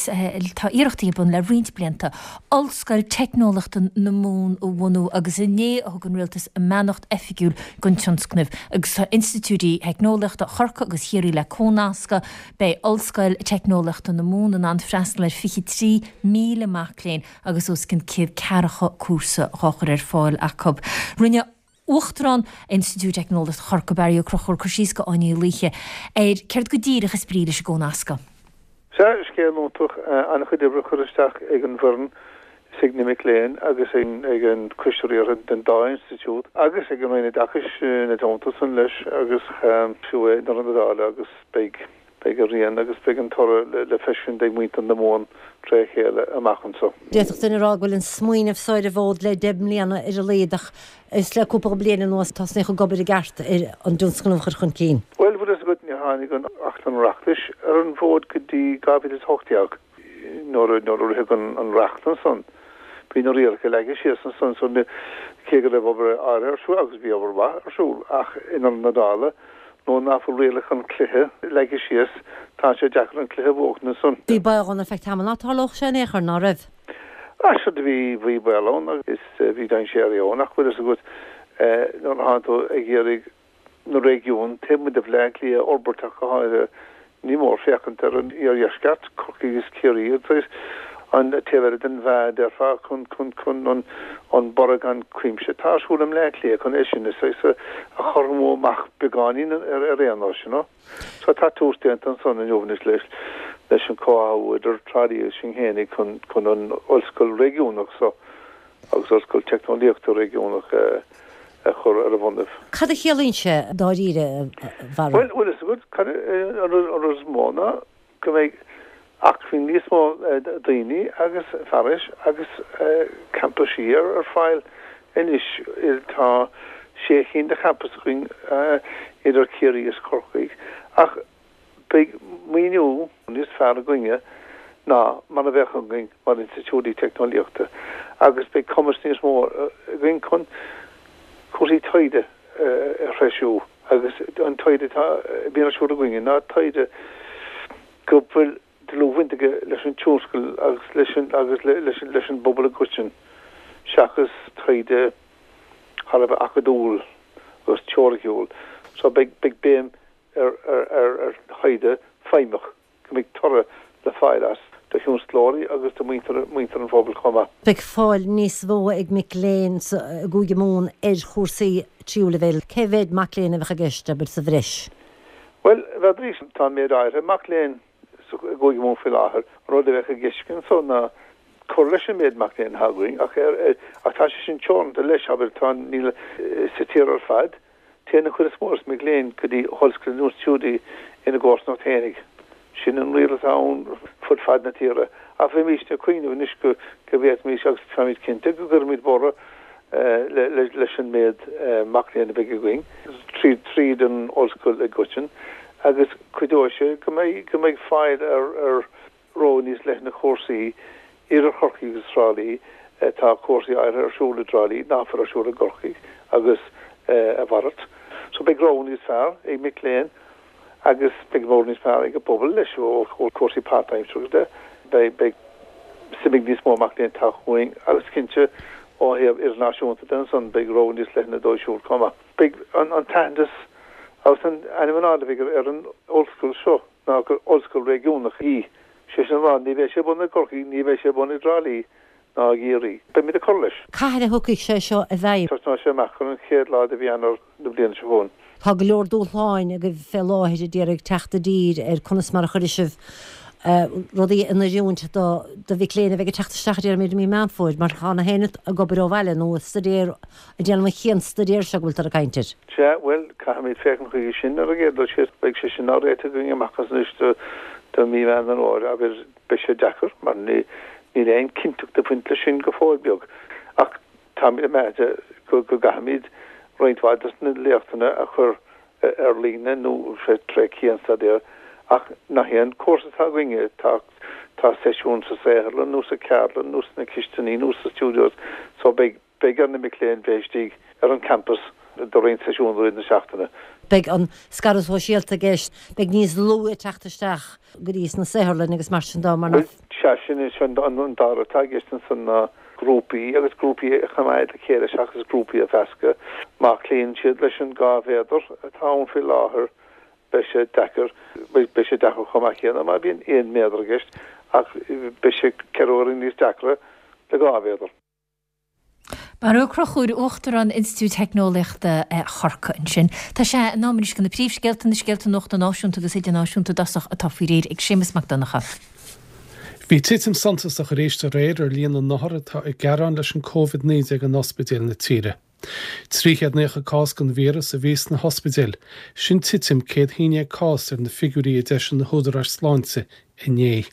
tá iarrachtaí ar bun le roinnt blianta Ollscoil Teicneolaíochta na Mumhan a bhunú agus inné a thug an Rialtas a mbeannacht oifigiúil don tionscnamh agus tá institiúidí theicneolaíochta Chorcaí agus Chiarraí le comhnascadh. Beidh Ollscoil Teicneolaíochta na Mumhan in ann freastal ar 23,000 mac léinn agus os cionn 140 cúrsa dhá chur ar fáil acu. Rinne Uachtarán Institiúid Teicneolaíochta Chorcaí, Barry Ó Conchúir, cur síos do Áine Ní Laoithe ar céard go díreach is brí leis an gcomhnascadh. Sea, scéal iontach, an-chuid oibre curtha isteach ag an bhfoireann is ag na mic léinn agus ag an coiste riartha den dá institiúid agus ag an Roinn Oideachais ina dteannta san leis agus fiú i ndeireadh na dála agus beidh beidh a rian agus beidh an toradh le feiscint ag muintir na Mumhan tré chéile amach anso. D'fhéadfadh duine a rá go bhfuil an smaoineamh so ar an bhfód le 10 mbliana ar a laghad ach is le cúpla bliain anuas a tosnaíodh ag obair i gceart ar an dtionscnamh a chur chun cinn. Bhuel, bhfuil fhios agat, níor tháinig an Acht an Oireachtais ar an bhfód go dtí 2018. Nuair a ritheadh an reacht ansan, bhí na rialacha leagtha síos ansan so cé go raibh obair áirithe ar siúl, agus bhí obair mhaith ar siúl, ach i ndeireadh na dála, nuair nach bhfuil rialacha an chluiche leagtha síos, tá sé deacair an cluiche a bhuachan ansan. Bhí baol ann ar feadh tamaill ná tarlódh sé in aon chor, ná raibh? Ah, sea, bhí, bhí baol ann agus bhí dainséar ann ach bhfuil fhios agat, nuair atánn tú ag iarraidh na réigiúin taobh amuigh de Bhleá Cliath a fhorbairt ach go háirithe. Ní mór féachaint ar an iardheisceart, Corcaigh agus Ciarraí agus an taobh eile den mheá a déarfá chun chun chun an an borradh gan cuimse atá ar siúl i mBleá Cliath chun é sin a saghas a chothromú amach beagáinín ar ar aon nós, you know. So tá tús déanta ansan inniu anois leis leis an comhtháthú idir Trá Lí agus sinn fhéinig chun chun an ollscoil réigiúnach so agus Ollscoil Teicneolaíochta Réigiúnach a chur ar a bhonnaibh. Cad a chiallaíonn sé dáiríre, a Bharry? Bhuel, bhfuil fhios agat, cad an rud is mó ná go mbeidh acmhainn níos mó daoine agus fearais agus campaisí ar fáil anois. Tá sé chinn de champas againn idir Ciarraí is Corcaigh ach beidh maoiniú níos fearr againne. ná mar a bheadh againn mar institiúidí teicneolaíochta agus beidh cumas níos mó againn chun cúrsaí taighde a threisiú agus an taighde atá a bhíonn ar siúl againne ná taighde go bhfuil dlúthbhaint aige leis an tionscal agus leis an agus leis an leis an bpobal i gcoiteann seachas taighde thar a bheith acadúil agus teoiriciúil. So beidh beidh béim ar ar ar ar thaighde feidhmeach go mbeidh toradh le fáil as do thionsclóirí agus do mhuintir muintir an phobail chomh maith. Beidh fáil níos mó ag mic léinn sa i gCúige Mumhan ar chúrsaí tríú leibhéal. Cé mhéad mac léinn a bheadh i gceist, abair, sa bhreis? Bhuel, bheadh, tá an méid áirithe mac léinn i gCúige Mumhan faoi láthair. An rud a bheadh i gceist anso ná cur leis an méid mac léinn atá againn, ach ach tá sé sin teoranta leis, abair, tá, níl, sa tír ar fad, téann an chuid is mó des mic léinn go dtí ollscoileanna nó institiúidí ina gcomharsanacht fhéinig. Sin an riail atá ann fud fad na tíre. Ach bheimísne ag cuimhneamh anois go bhféadfaimis, agus táimid cinnte, go gcuirfimid borradh leis an méid mac léinn a bheidh againn tríd an ollscoil i gcoiteann agus cuideoidh sé go mbeidh go mbeidh fáil ar ar rogha níos leithne cúrsaí idir Chorcaigh agus Trá Lí. Tá cúrsaí áirithe ar siúl i dTrá Lí nach bhfuil ar siúl i gCorcaigh agus a mhalairt. So beidh rogha níos fearr ag mic léinn agus beidh rogha níos fearr ag an bpobal leis ó chúrsaí páirtaimseartha de. Beidh beidh suim ag níos mó mac léinn teacht chugainn agus cinnte ó thaobh idirnáisiúnta de ansan beidh rogha níos leithne dóibh siúd chomh maith. Beidh an an t-aitheantas agus an ainm in airde a bheidh ar an ollscoil seo ná gur ollscoil réigiúnach í. Sé sin le rá ní bheidh sé bunaithe i gCorcaigh, ní bheidh sé bunaithe i dTrá Lí ná i gCiarraí. Beimid ag cur leis. Cathain a thiocfaidh sé seo i bhfeidhm? Tosnóidh sé amach ar an chéad lá de mhí Eanáir na bliana seo chugainn. Tá go leor dúshláin agaibh fé láthair a déarfainn ag teacht i dtír ar conas mar a chuirfidh sibh rudaí in oiriúint do do mhic léinn a bheidh ag teacht isteach a déarfaimid i mí Meán Fómhair mar tá na héinne ag obair ó bhaile nó ag staidéar ag déanamh an chianstaidéir seo go bhfuiltear ag caint air. Sea, bhuel, caithfimid féachaint chuige sin ar an gcéad dul síos. Beidh sé sin á réiteach againn amach as anois do do mhí Mheán an Fhómhair, abair. Beidh sé deacair mar níl aon chinnteacht ag baint leis sin go fóill beag. Ach táimid ag meas go gcaithfimid roinnt mhaith de na léachtanna a chur ar líne nó tré chianstaidéar ach nach é an cúrsa atá againne, tá tá seisiún sa saotharlann nó sa cheardlann nó sna cistiní nó sa studios so beidh beidh ar na mic léinn bheith istigh ar an campas do roinnt seisiún i rith na seachtaine. Beidh an scaradh sóisialta i gceist, beidh níos lú ag teacht isteach go dtí sna saotharlainn agus mar sin de mar nach. Sea, sin é sin an dara rud atá i gceist ansan ná grúpaí agus grúpaí a choimeád le chéile seachas grúpaí a mheascadh. Má chloíonn siad leis an 2 mhéadar atá ann faoi láthair beidh sé deacair, beidh sé deacair chomh maith céanna má bhíonn 1 méadar i gceist ach beidh sé ceithre huaire níos deacra le 2 mhéadar. Barra Ó Conchúir, Uachtarán Institiúid Teicneolaíochta Chorcaí ansin. Tá sé in am anois do na príomhscéalta, na scéalta nuachta náisiúnta agus idirnáisiúnta i dtosach atá faoi réir ag Séamus Mac Donncha. Bhí titim suntasach arís aréir ar líon na n-othar atá ag gearán leis an Covid-19 in ospidéil na tíre. 390 cás den víreas a bhí sna hospidéil, sin titim 111 cás ar na figiúirí a d'eisigh na húdaráis sláinte inné.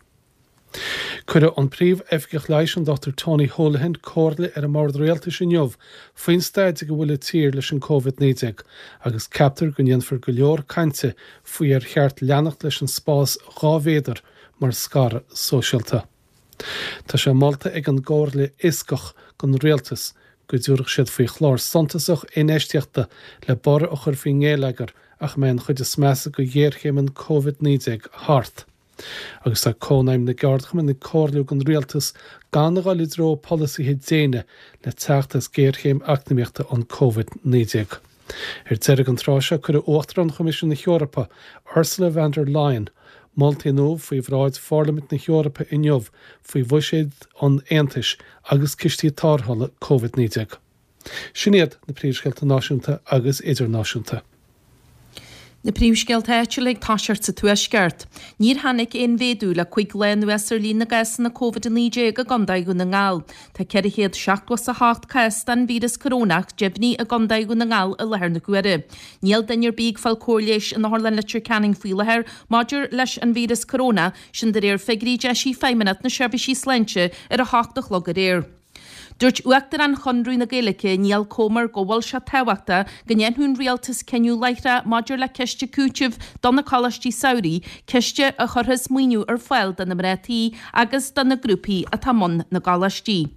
Cuirfidh an Príomh-Oifigeach Leighis, an Dr Tony Holohan, comhairle ar an mBord Rialtais inniu faoin staid ag a bhfuil an tír leis an Covid-19 agus ceaptar go ndéanfar go leor cainte faoi ar cheart leanacht leis an spás 2 mhéadar mar scaradh sóisialta. Tá sé molta ag an gComhairle Fhioscach don Rialtas go dtabharfadh siad faoi chlár suntasach infheistíochta le borradh a chur faoin ngeilleagar ach a mbeidh an chuid is measa de ghéarchéim an Covid-19 thart. Agus tá Cónaidhm na gCeardchumann ag comhairliú don Rialtas gan a dhul i dtreo polasaithe déine le teacht as géarchéim eacnamaíochta an Covid-19. Ar deireadh an tráth seo cuirfidh Uachtarán Choimisiún na hEorpa, Ursula von der Leyen, moltaí nua faoi bhráid Pharlaimint na hEorpa inniu faoi bhuiséad an Aontais agus cistí tarrthála Covid-19. Sin iad na príomhscéalta náisiúnta agus idirnáisiúnta. Na príomhscéalta áitiúla ag toiseacht sa Tuaisceart. Níor tháinig aon mhéadú le 5 lá anuas ar líon na gcásanna Covid-19 i gContae Dhún na nGall. Tá 478 cás den víreas corónach deimhnithe i gContae Dhún na nGall i láthair na huaire. Níl duine ar bith ag fáil cóir leighis in Otharlann Leitir Ceanainn faoi láthair maidir leis an víreas corónach, sin de réir figiúirí a d'eisigh Feidhmeannacht na Seirbhísí Sláinte ar a hocht a chlog aréir. Dúirt Uachtarán Chonradh na Gaeilge, Niall Comer, go bhfuil sé tábhachtach go ndéanfadh an Rialtas cinneadh láithreach maidir le ciste cúitimh do na coláistí samhraidh, ciste a chuirfeas maoiniú ar fáil do na mná tí agus do na grúpaí atá i mbun na gcoláistí.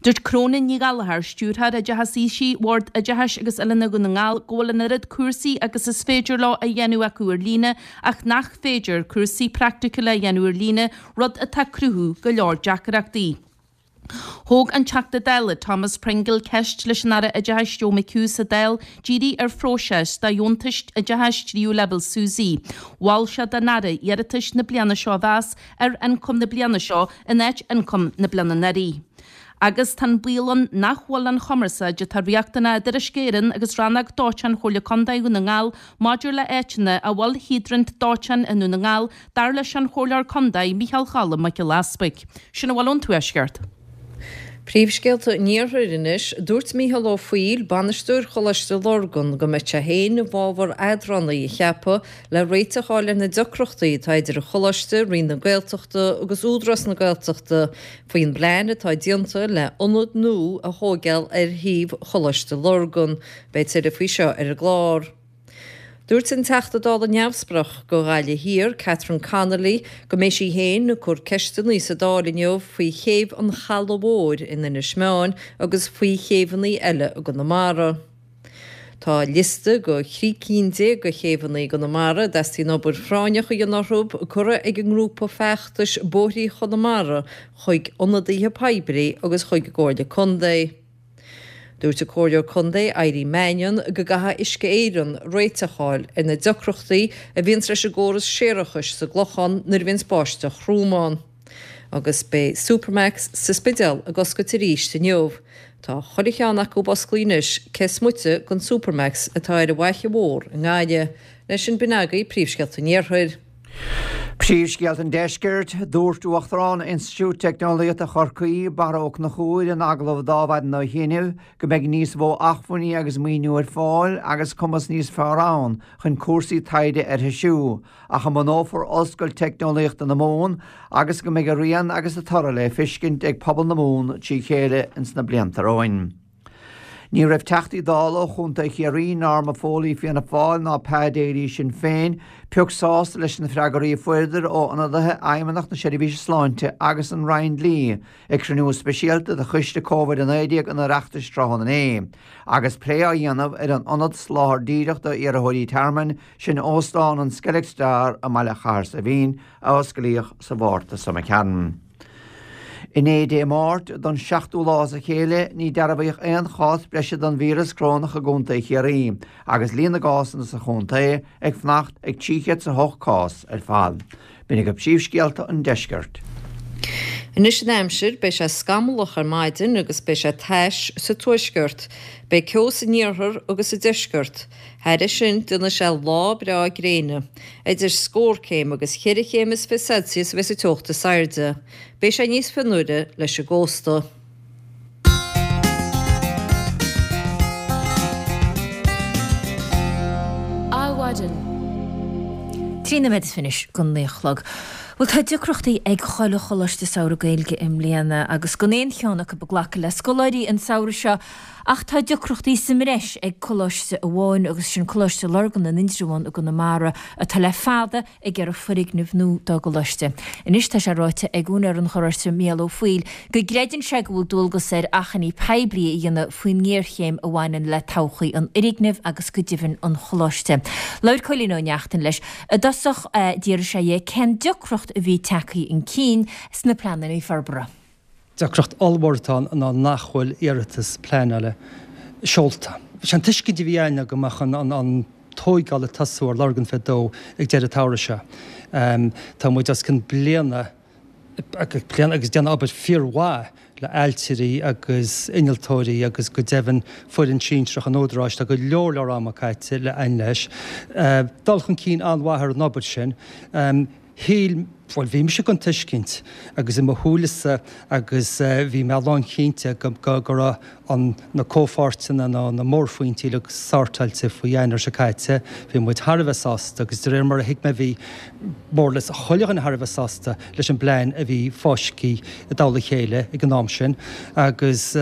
Dúirt Cróinín Ní Ghallchóir, Stiúrthóir Oideachais Aoisigh Bhord Oideachais agus Oiliúna Dhún na nGall, go bhfuil an oiread cúrsaí agus is féidir leo á dhéanamh acu ar líne ach nach féidir cúrsaí praiticiúla a dhéanamh ar líne, rud atá ag cruthú go leor deacrachtaí. Thóg an Teachta Dála Thomas Pringle ceist leis an Aire Oideachais Joe McHugh sa Dáil dírithe ar phróiseas do dheontais oideachais tríú leibhéal SUSI. Mhol sé don Aire iarratais na bliana seo a mheas ar ioncam na bliana seo in áit ioncam na bliana anuraidh. Agus tá an baol ann nach bhfuil an chumarsáid atá riachtanach idir Uisce Éireann agus Rannóg Dóiteáin Chomhairle Contae Dhún na nGall maidir le áiteanna a bhfuil hiodrant dóiteáin i nDún na nGall, dar leis an Chomhairleoir Contae Micheál Choilm Mac Giolla Easpaig. Sin a bhfuil ón Tuaisceart. Príomhscéalta an Iarthair anois. Dúirt Micheál Ó Foighil, bainisteoir Choláiste Lurgan, go mbeidh sé féin i bhfabhar eadránaí a cheapadh le réiteach a fháil ar na deacrachtaí atá idir an Choláiste, Roinn na Gaeltachta agus Údarás na Gaeltachta faoin bplean atá déanta le ionad nua a thóigeáil ar shuíomh Choláiste Lurgan. Beidh tuilleadh faoi seo ar an gclár. Dúirt an Teachta Dála Neamhspleách do Ghaillimh Thiar, Catherine Connolly, go mbeidh sí féin ag cur ceisteanna sa Dáil inniu faoi chéibh an Chalaidh Mhóir in Inis Meáin agus faoi chéibheanna eile i gConamara. Tá liosta de thrí cinn de chéibheanna i gConamara a dteastaíonn obair phráinneach a dhéanamh orthu curtha ag an ngrúpa feachtais Bóithrí Chonamara chuig ionadaithe poiblí agus chuig an gComhairle Contae. Dúirt an Comhairleoir Contae Irene Mannion go gcaithfidh Uisce Éireann réiteach a fháil ar na deacrachtaí a bhíonns leis an gcóras séarachais sa gClochán nuair a bhíonns báisteach throm ann. Agus beidh Supermacs sa Spidéal ag oscailt arís inniu. Tá chuile cheann acu osclaithe anois cé is moite den Supermacs atá ar an bhFaiche Mhór i nGaillimh. Leis sin b'in agaibh príomhscéalta an Iarthair. Príomhscéalta an Deiscirt, Dúirt Uachtarán Institiúid Teicneolaíochta Chorcaí, Barra Ó Conchúir, in agallamh d'Adhmhaidin ó chianaibh, go mbeidh níos mó acmhainní agus maoiniú ar fáil agus cumas níos fearr ann chun cúrsaí taighde a threisiú ach a mbunófar Ollscoil Teicneolaíochta na Mumhan agus go mbeidh a rian agus a toradh le feiscint ag pobal na Mumhan trí chéile ins na blianta romhainn. Ní raibh Teachtaí Dála ó Chontae Chiarraí, Norma Foley Fianna Fáil ná Pa Daly Sinn Féin, pioc sásta leis na freagraí a fuaireadar ó ionadaithe Fheidhmeannacht na Seirbhíse Sláinte agus an Roinn Dlí ag cruinniú speisialta de Choiste Covid-19 an Oireachtais tráthnóna inné agus plé á dhéanamh ar an ionad soláthair díreach d'iarrthóirí tearmainn, sin Óstán an Skellig Star i mbaile Chathair Saidhbhín a osclaíodh sa Mhárta seo imigh tharainn. Inné, Dé Máirt, don seachtú lá as a chéile, ní dearbhaíodh aon chás breise den víreas corónach i gContae Chiarraí, agus líon na gcásanna sa chontae ag fanacht ag 308 cás ar fad. B'in agaibh príomhscéalta an deiscirt. Anois an aimsir, beidh sé scamallach ar maidin agus beidh sé tais sa tuaisceart. Beidh ceo san iarthar agus sa deisceart. Thairis sin, déanfaidh sé lá breá gréine. Idir scór céim agus cheithre chéim is fiche Celsius a bheas an teocht is airde. Beidh sé níos fionnuaire leis an gcósta. Adhmhaidin. 13 nóiméad anois go 9 a chlog. Bhuel, tá deacrachtaí ag chuile choláiste samhraidh Gaeilge i mbliana agus gan aon cheann acu ag glacadh le scoláirí an samhradh seo Ach tá deacrachtaí sa mbreis ag coláiste amháin agus sin Coláiste Lurgan in Indreabhán i gConamara atá le fada ag iarraidh foirgneamh nua dá gcoláiste. Anois tá sé ráite ag úinéir an choláiste Mícheál Ó Foighil go gcreideann sé go bhfuil dualgas air achainí poiblí a dhéanamh faoin ngéarchéim a bhaineann le todhchaí an fhoirgnimh agus go deimhin an choláiste. Labhair Cóilín Ó Neachtain leis. I dtosach d'fhiafraigh sé dhe cén deacracht a bhí tagtha chun cinn sna pleananna forbartha. Deacracht ollmhór atá ann ná nach bhfuil iarratas pleanála seolta. Sé an tuiscint a bhí againn ná go mbeadh an tóigeáil ag tosú ar Lurgan 22 ag deireadh an tsamhraidh seo. Tá muid os cionn bliana ag pleanáil agus déanamh obair fíormhaith le ailtirí agus innealtóirí agus go deimhin foireann sinsearach an Údaráis. Tá go leor leor ama caite le againn leis. Dul chun cinn an-mhaith ar an obair sin. Shíl. Bhuel, bhí mise den tuiscint agus i mo shúilese agus bhí mé lánchinnte go go raibh an na comhpháirteanna nó na mórphointí uilig sortáilte faoi Eanáir seo caite. Bhí muid thar a bheith sásta agus de réir mar a thuig mé bhí more or less chuile dhuine thar a bheith sásta leis an bplean a bhí fáiscthe i dtoll a chéile ag an am sin agus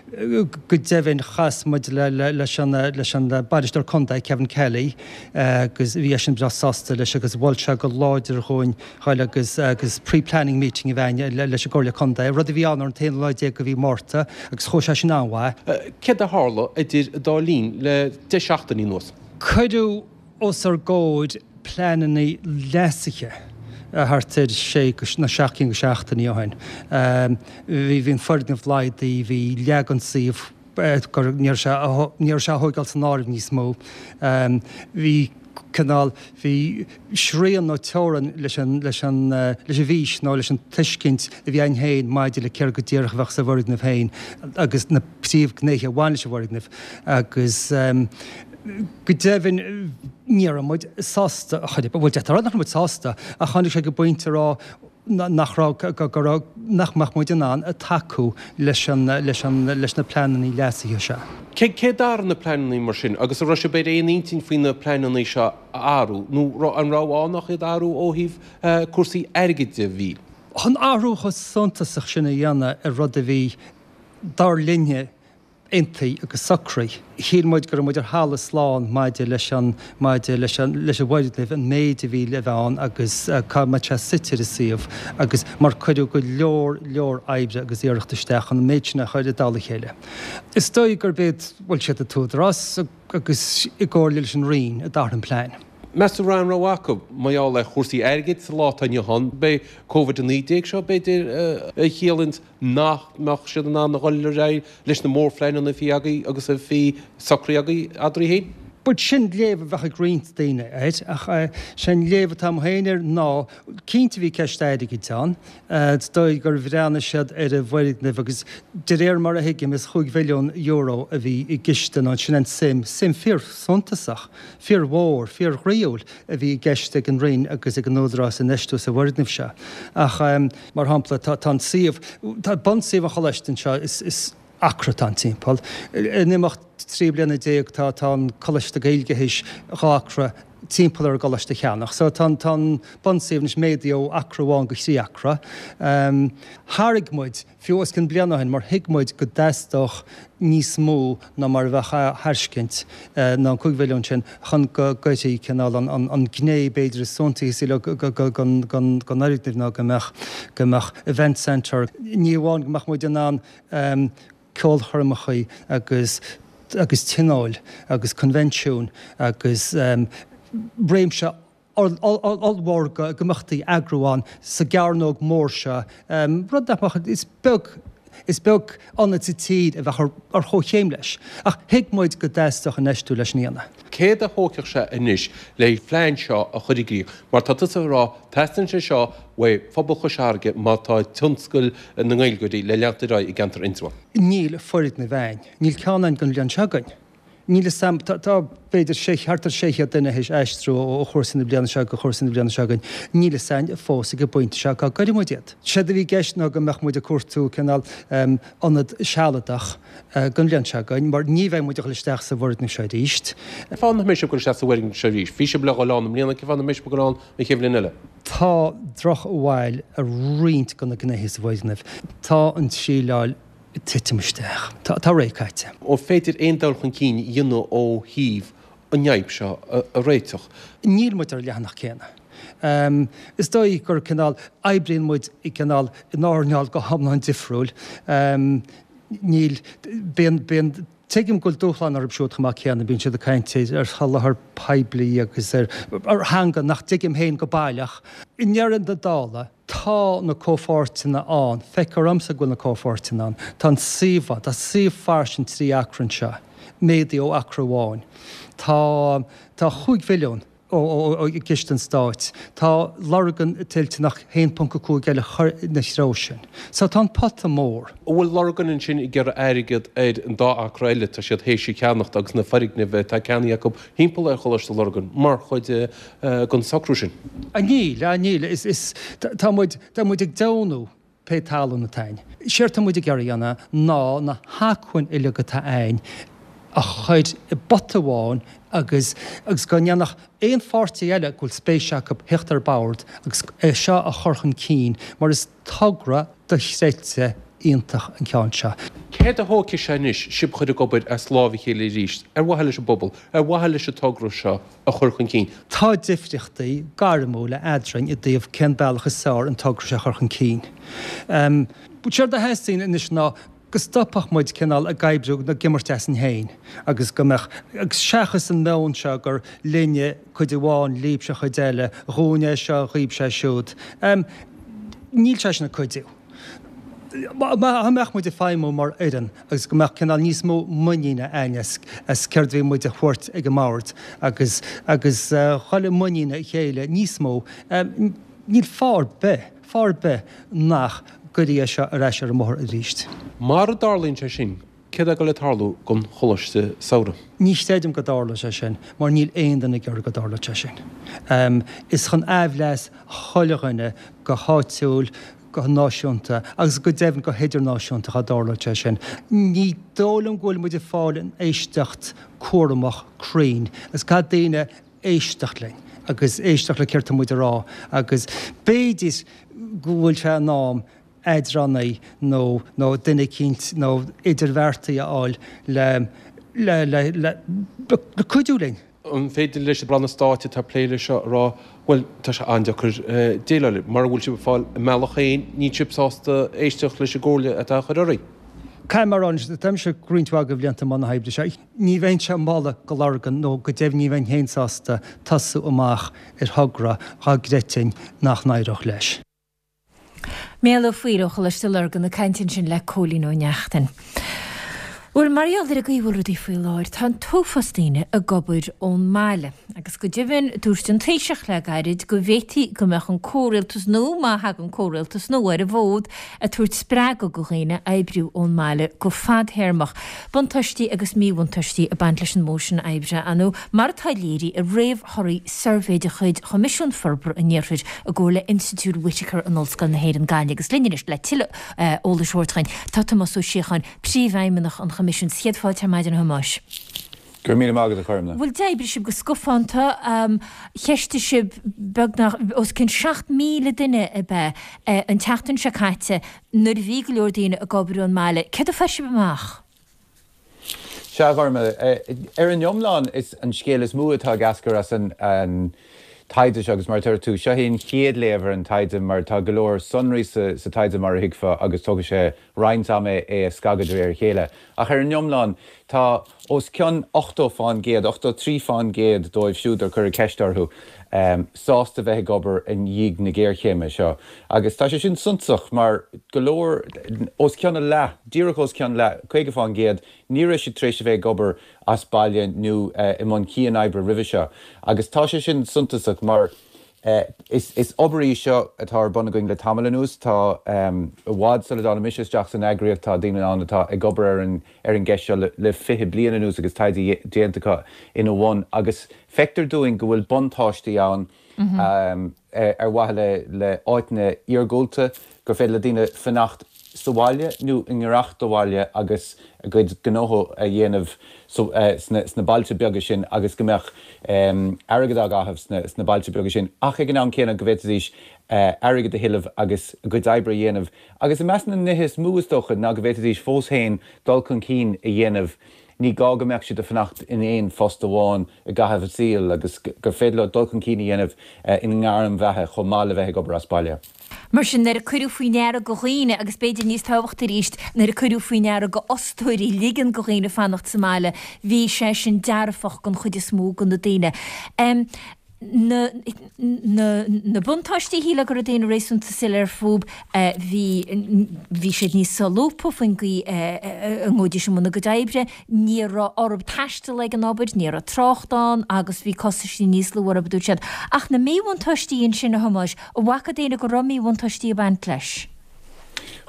Go deimhin, chas muid leis an Bainisteoir Contae, Kevin Kelly, agus bhí eisean breá sásta leis agus mhol sé go láidir dhúinn dhul agus agus pre-planning meeting a bheith againn leis an gComhairle Contae, rud a bhí ann ar an t-aon lá déag de mhí Márta agus chuaigh sé sin an-mhaith. Céard a tharla idir an dá linn le 10 seachtainí anuas? Cuireadh os ár gcomhair pleananna leasaithe thart ar sé nó 7 cinn de sheachtainí ó shin. Bhí an foirgneamh laghdaithe, bhí leath den suíomh gur ní raibh sé ní raibh sé á thóigeáil san áireamh níos mó. Bhí cineál, bhí srian nó teorainn leis an leis an leis an bhfís nó leis an tuiscint a bhí againn féin maidir le céard go díreach a bheadh sa bhfoirgneamh féin agus na príomhghnéithe a bhain leis an bhfoirgneamh agus Go deimhin, ní raibh muid sásta, bhuel, d'fhéadfá a rá nach raibh muid sásta, ach tháinig sé go pointe a rá nach raibh, go raibh, nach mbeadh muid in ann tacú leis an, leis an, leis na pleananna leasaithe seo. Cé, cé d'athraigh na pleananna mar sin agus an raibh sibh ar aon intinn faoi na pleananna seo a athrú nó an raibh ann ach iad a athrú ó thaobh cúrsaí airgid de, a Mhíchíl? Chun athrú chomh suntasach sin a dhéanamh ar rud a bhí, dar linne, aontaithe agus socraithe. Shíl muid go raibh muid ar thalamh slán maidir leis an, maidir leis an, leis an bhfoirgneamh, an méid a bhí le bheith ann agus cá mbeadh sé suite ar an suíomh agus mar cuireadh go leor, leor oibre agus iarracht isteach chun an méid sin a chur i dtoll a chéile. Is dóigh gurb iad, bhuel, siad an tÚdarás agus i gcomhairle leis an Roinn a d'athraigh an plean. Meas tú an raibh aon rogha acu mar gheall ar chúrsaí airgid sa lá atá inniu ann? Beidh Covid-19 seo, b'fhéidir, a chiallaíonns nach mbeadh siad in ann a dhul ar aghaidh leis na mórphleananna a bhí agaibh agus a bhí socraithe agaibh eadraibh féin? Bhuel, sin léamh a bheadh ag roinnt daoine air, ach sé an léamh atá agam féin air ná, cinnte bhí ceist airgid ann, is dóigh gur bhreathnaigh siad ar an bhfoirgneamh agus de réir mar a thuigim is chúig mhilliún euro a bhí i gceist nó sin an tsuim, suim fíor-shuntasach, fíor-mhór, fíor-ghroíúil a bhí i gceist ag an Roinn agus ag an Údarás infheistiú sa bhfoirgneamh seo. Ach. Mar shampla, tá an suíomh, tá bunsuíomh an choláiste anseo, is acra atá ann timpeall. In imeacht 13 bliana tá tá an Coláiste Gaeilge théis 2 acra timpeall ar an gcoláiste a cheannach. So tá an tá an bunsuíomh anois méadaithe ó acra amháin go thrí acra. Thairg muid fiú os cionn bliana ó shin mar thuig muid go dteastódh níos mó ná mar a bheadh á thairscint, ná an 5 mhilliún sin, chun go gcuirfí cineál an ghné b'fhéidir is suntasaí den fhoirgneamh ná go mbeadh go mbeadh event centre, ní amháin go mbeadh muid in ann ceolchoirmeacha agus agus tionóil agus convensiúin agus réimse ollmhór d'imeachtaí a eagrú ann sa gcearnóg mhór seo, rud nach mbeadh, is beag, is beag ionad sa tír a bheadh ar chomhchéim leis. Ach thuig muid go dteastódh infheistiú leis sin a dhéanamh. Céard a thógfadh sé anois le plean seo a chur i gcrích? Mar tá tusa ag rá, teastaíonn sé seo uaidh phobal Chois Fharraige má tá tionscal na nGaeilgeoirí le leanacht ar aghaidh i gceantar Indreabhán. Níl foirgneamh a'inn. Níl ceann a'inn don bhliain seo chugainn. Níl fhios a'm, tá, tá b'fhéidir sé, thart ar 600 duine théis aistriú ó chúrsaí na bliana seo go chúrsaí na bliana seo chugainn. Níl fhios a'inn fós ag an bpointe seo cá gcuirfidh muid iad. Séard a bhí i gceist ná go mbeadh muid ag cuartú cineál ionad sealadach don bhliain seo chugainn mar ní bheidh muid ag dul isteach sa bhfoirgneamh seo arís. Cén fáth nach mbeidh sibh ag dul isteach sa bhfoirgneamh seo arís? Bhí sibh le dhul ann i mbliana, cén fáth nach mbeidh sibh ag dul ann an chéad bhliain eile? Tá drochbhail ar roinnt de na gnéithe sa bhfoirgneamh. Tá an tsíleáil ag titim isteach. Tá ré caite. An féidir aon dul chun cinn a dhéanamh ó thaobh an fhadhb seo a réiteach? Níl muid ar an leathanach céanna. Is dóigh gur cineál, oibríonn muid i gcineál, in earnáil go hiomlán difriúil. Níl, bíonn, bíonn, tuigim go bhfuil dúshlán orthu siúd chomh maith céanna, bíonn siad ag caint ar sholáthar poiblí agus ar theanga nach dtuigim féin go baileach. I ndeireadh na dála, Tá na comhpháirteanna ann, feictear dhomsa go bhfuil na comhpháirteanna ann. Tá an suíomh ann, tá suíomh fairsing 3 acra anseo, méadaithe ó acra amháin. Tá, tá chúig mhilliún. Ó gciste an Stáit. Tá Lurgan toilteanach 1.5 eile a chur ina threo sin. So tá an pota mór. An bhfuil Lurgan ansin ag iarraidh airgead ar an dá acra eile atá siad théis a cheannacht agus na foirgnimh atá ceannaithe acu thimpeall ar Choláiste Lurgan mar chuid den socrú sin? Níl, níl. Is, tá muid, tá muid ag deonú. pé talún atá a'inn. Séard tá muid ag iarraidh a dhéanamh ná na hacmhainn uilig atá a'inn a chur i bpota amháin agus agus go ndéanfadh aon pháirtí eile go bhfuil spéis acu theacht ar bord agus é seo a chur chun cinn mar is togra dochreidte iontach an ceann seo. Céard a thógfaidh sé anois sibh a chur ag obair as lámh a chéile arís ar mhaithe leis an bpobal, ar mhaithe leis an togra seo a chur chun cinn. Tá difríochtaí gairmiúla eadrainn i dtaobh cén bealach is fearr an togra seo a chur chun cinn. Séard a theastaíonn anois ná go stopfadh muid cineál ag oibriú nó ag imirt asainn féin agus go mbeadh, agus seachas an meon seo gur linne cuid amháin, libhse cuid eile, dhúinne é seo, dhaoibhse é siúd, níl sé sin ag cuidiú. Dá mbeadh muid ag feidhmiú mar fhoireann agus go mbeadh cineál níos mó muiníne a'inn as céard a bhí muid a thabhairt ag an mbord agus agus dhul i muinín a chéile níos mó, níl fáth ar bith, fáth ar bith nach gcuirfí é seo ar ais ar an mbóthar arís. Mara dtarlaíonn sé sin, céard atá ag dul ag tarlú don Choláiste Samhraidh? Ní chreidim go dtarlóidh sé sin mar níl aon duine ag iarraidh go dtarlódh sé sin. Is chun aimhleas chuile dhuine go háitiúil, go náisiúnta agus go deimhin go hidirnáisiúnta dá dtarlódh sé sin. Ní dóigh liom go bhfuil muid ag fáil an éisteacht cúramach cruinn agus caithfidh daoine éisteacht linn agus éisteacht le céard tá muid a rá agus b'fhéidir go bhfuil sé in am eadránaí nó nó duine eicínt nó idirbheartaí a fháil le le le le le cuidiú linn. An féidir leis na ranna stáit atá ag plé leis seo a rá, bhuel, tá sé an-deacair déileáil, mura bhfuil sibh ag fáil a mbealach féin, níl sibh sásta éisteacht leis an gcomhairle atá á chur oraibh? Caithfidh mé a rá anois, tá mise roinnt mhaith de bhlianta i mbun na hoibre seo, ní bheinnse ag moladh go Lurgan nó go deimhin ní bheinn féin sásta tosú amach ar thogra dhá gcreidfinn nach n-éireodh leis. Mícheál Ó Foighil ó Choláiste Lurgan ag caint ansin le Cóilín Ó Neachtain. Bhuel, mar gheall ar an gcaoi a bhfuil rudaí faoi láthair, tá an t-uafás daoine ag obair ón mbaile. Agus go deimhin, dúirt an Taoiseach le gairid go bhféadfaí go mbeadh an comhrialtas nó, má thagann comhrialtas nua ar an bhfód, ag tabhairt spreagadh go dhaoine oibriú ón mbaile go fadthéarmach. Buntáistí agus míbhuntáistí ag baint leis an modh sin oibre, ar ndóigh, mar atá léirithe i réamhthorthaí suirbhé de chuid Choimisiún Forbartha an Iarthair i gcomhar le Institiúid Whitaker in Ollscoil na hÉireann, Gaillimh. Agus linn anois le tuilleadh eolais a thabhairt dhuinn tá Tomás Ó Síocháin, Príomhfheidhmeannach an Choimisiúin. Céad fáilte ar maidin a Thomáis. Go raibh míle maith agat a Chormna. Bhuel, d'oibrigh sibh go scafánta, cheistigh sibh beagnach os cionn 7,000 duine ab ea an tseachtain seo caite nuair a bhí go leor daoine ag obair ón mbaile. Céard a fuair sibh amach? Sea, a Ghormlaith, ar an iomlán, is an scéal is mó atá ag eascair as an taighde seo, agus mar a deir tú, seo é an chéad léamh ar an taighde mar tá go leor sonraí sa taighde mar a thuigfeá agus tógfaidh sé roinnt ama é a scagadh de réir a chéile. Ach ar an iomlán, tá os cionn 80%, 83% dóibh siúd ar cuireadh ceist orthu, sásta bheith ag obair i ndiaidh na géarchéime seo. Agus tá sé sin suntasach mar go leor, os cionn a leath, díreach os cionn leath, 50%, ní raibh siad tar éis a bheith ag obair as baile nó i mbun cian-oibre roimhe seo. Agus tá sé sin suntasach mar is obair í seo atá ar bun againn le tamall anuas. Tá, i bhfad sula dtáinig mise isteach san eagraíocht, tá daoine ann atá ag obair ar an ar an gceist seo le 20 bliain anuas agus taighde déanta acu ina bhun agus feictear dúinn go bhfuil buntáistí ann ar mhaithe le áiteanna iargúlta, gur féidir le daoine fanacht sa bhaile nó i ngiorracht do bhaile agus a gcuid gnótha a dhéanamh sna bailte beaga sin agus go mbeadh airgead á gcaitheamh sna bailte beaga sin ach ag an am céanna go bhféadfaidís airgead a thuilleamh agus a gcuid oibre a dhéanamh agus i measc na nithe is mó is dócha ná go bhféadfaidís fós féin dul chun cinn a dhéanamh Ní gá go mbeadh siad ag fanacht in aon phost amháin i gcaitheamh a saoil agus gur féidir leo dul chun cinn a dhéanamh ina ngairm bheatha chomh maith le bheith ag obair as baile. Mar sin, nuair a cuireadh faoi ndeara go dhaoine, agus b'fhéidir níos tábhachtaí arís, nuair a cuireadh faoi ndeara go fhostóirí ligean go dhaoine fanacht sa mbaile, bhí sé sin dearfach don chuid is mó de na daoine. Na, na, na buntáistí, shílfeá go raibh daoine réasúnta soiléir fúb, bhí, bhí siad níos solúbtha faoin gcaoi a ngabhaidís i mbun a gcuid oibre, ní raibh orthub taisteal ag an obair, ní raibh trácht ann agus bhí costaisí níos lú orthub, a dúirt siad. Ach na míbhuntáistí ansin, a Thomáis, an bhfaca daoine go raibh míbhuntáistí ag baint leis?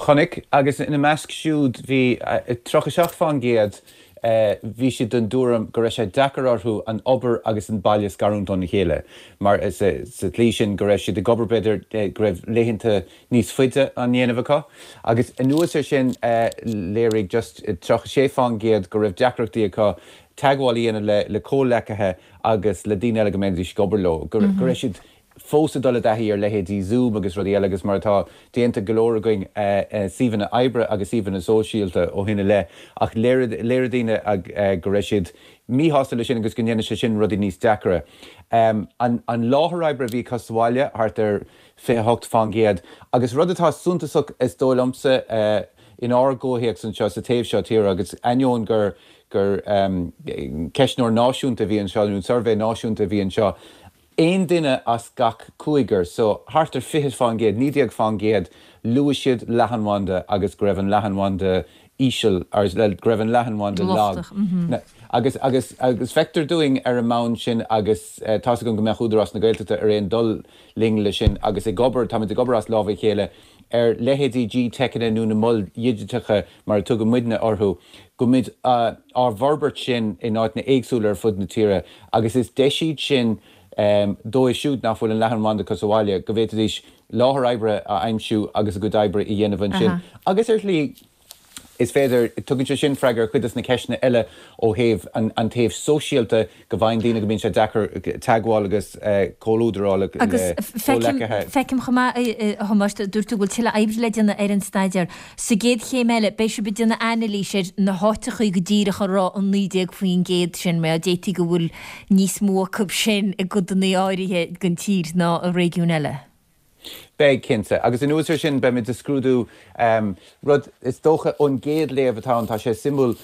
Chonaic, agus ina measc siúd bhí 37%, bhí siad den tuairim go raibh sé deacair orthu an obair agus an baile a scarúint óna chéile mar sa tslí sin go raibh siad ag obair b'fhéidir go raibh laethanta níos faide á ndéanamh acu. Agus anuas air sin léirigh just 36% go raibh deacrachtaí acu teagmháil a dhéanamh le comhleacaithe agus le daoine eile go mbeidís ag obair leo, go raibh siad fós ag dul i dtaithí ar leithéidí Zoom agus rudaí eile agus mar atá déanta ag go leor againn suíomhanna oibre agus suíomhanna sóisialta ó shin i leith ach léirigh daoine go raibh siad míshásta leis sin agus go ndéanann sé sin rudaí níos deacra. An láthair oibre a bhí acu sa bhaile, thart ar 28% agus rud atá suntasach is dóigh liomsa inár gcomhthéacs anseo sa taobh seo tíre agus ainneoin gur gur ceistneoir náisiúnta a bhí anseo nó suirbhé náisiúnta a bhí anseo, Aon duine as gach cúigear, so thart ar 20%, 19%, luaigh siad leathanbhanda agus go raibh an leathanbhanda íseal, or go raibh an leathanbhanda lag. Agus, agus, agus feictear dúinn ar an mbonn sin agus tá's agam go mbeadh Údarás na Gaeltachta ar aon dul linn le sin agus ag obair, táimid ag obair as lámha a chéile ar leithéidí GTeiceanna nó na moil dhigiteacha mar a tugann muidne orthu, go mbeimid á bhforbairt sin in áiteanna éagsúla ar fud na tíre agus is deis iad sin dóibh siúd nach bhfuil an leathanbhanda acu sa bhaile go bhféadfaidís láthair oibre a aimsiú agus a gcuid oibre a dhéanamh ansin agus ar shlí is féidir, tugann sé sin freagra ar chuid de na ceisteanna eile ó thaobh an taobh sóisialta go bhfaigheann daoine go mbíonn sé deacair teagmháil agus comhluadar a fháil le comhleacaithe. Agus feicim chomh maith, a Thomáis, dúirt tú go bhfuil tuilleadh oibre le déanamh ar an staidéar. Sa gcéad chéim eile, beidh sibh ag déanamh anailís ar na háiteachaí go díreach a raibh an 19% sin, mar d'fhéadfaí go bhfuil níos mó acu sin i gcodanna áirithe den tír ná i réigiúin eile. Beidh, cinnte. Agus anuas air sin, beimid ag scrúdú rud is dócha ón gcéad léamh atá ann, tá sé suimiúil,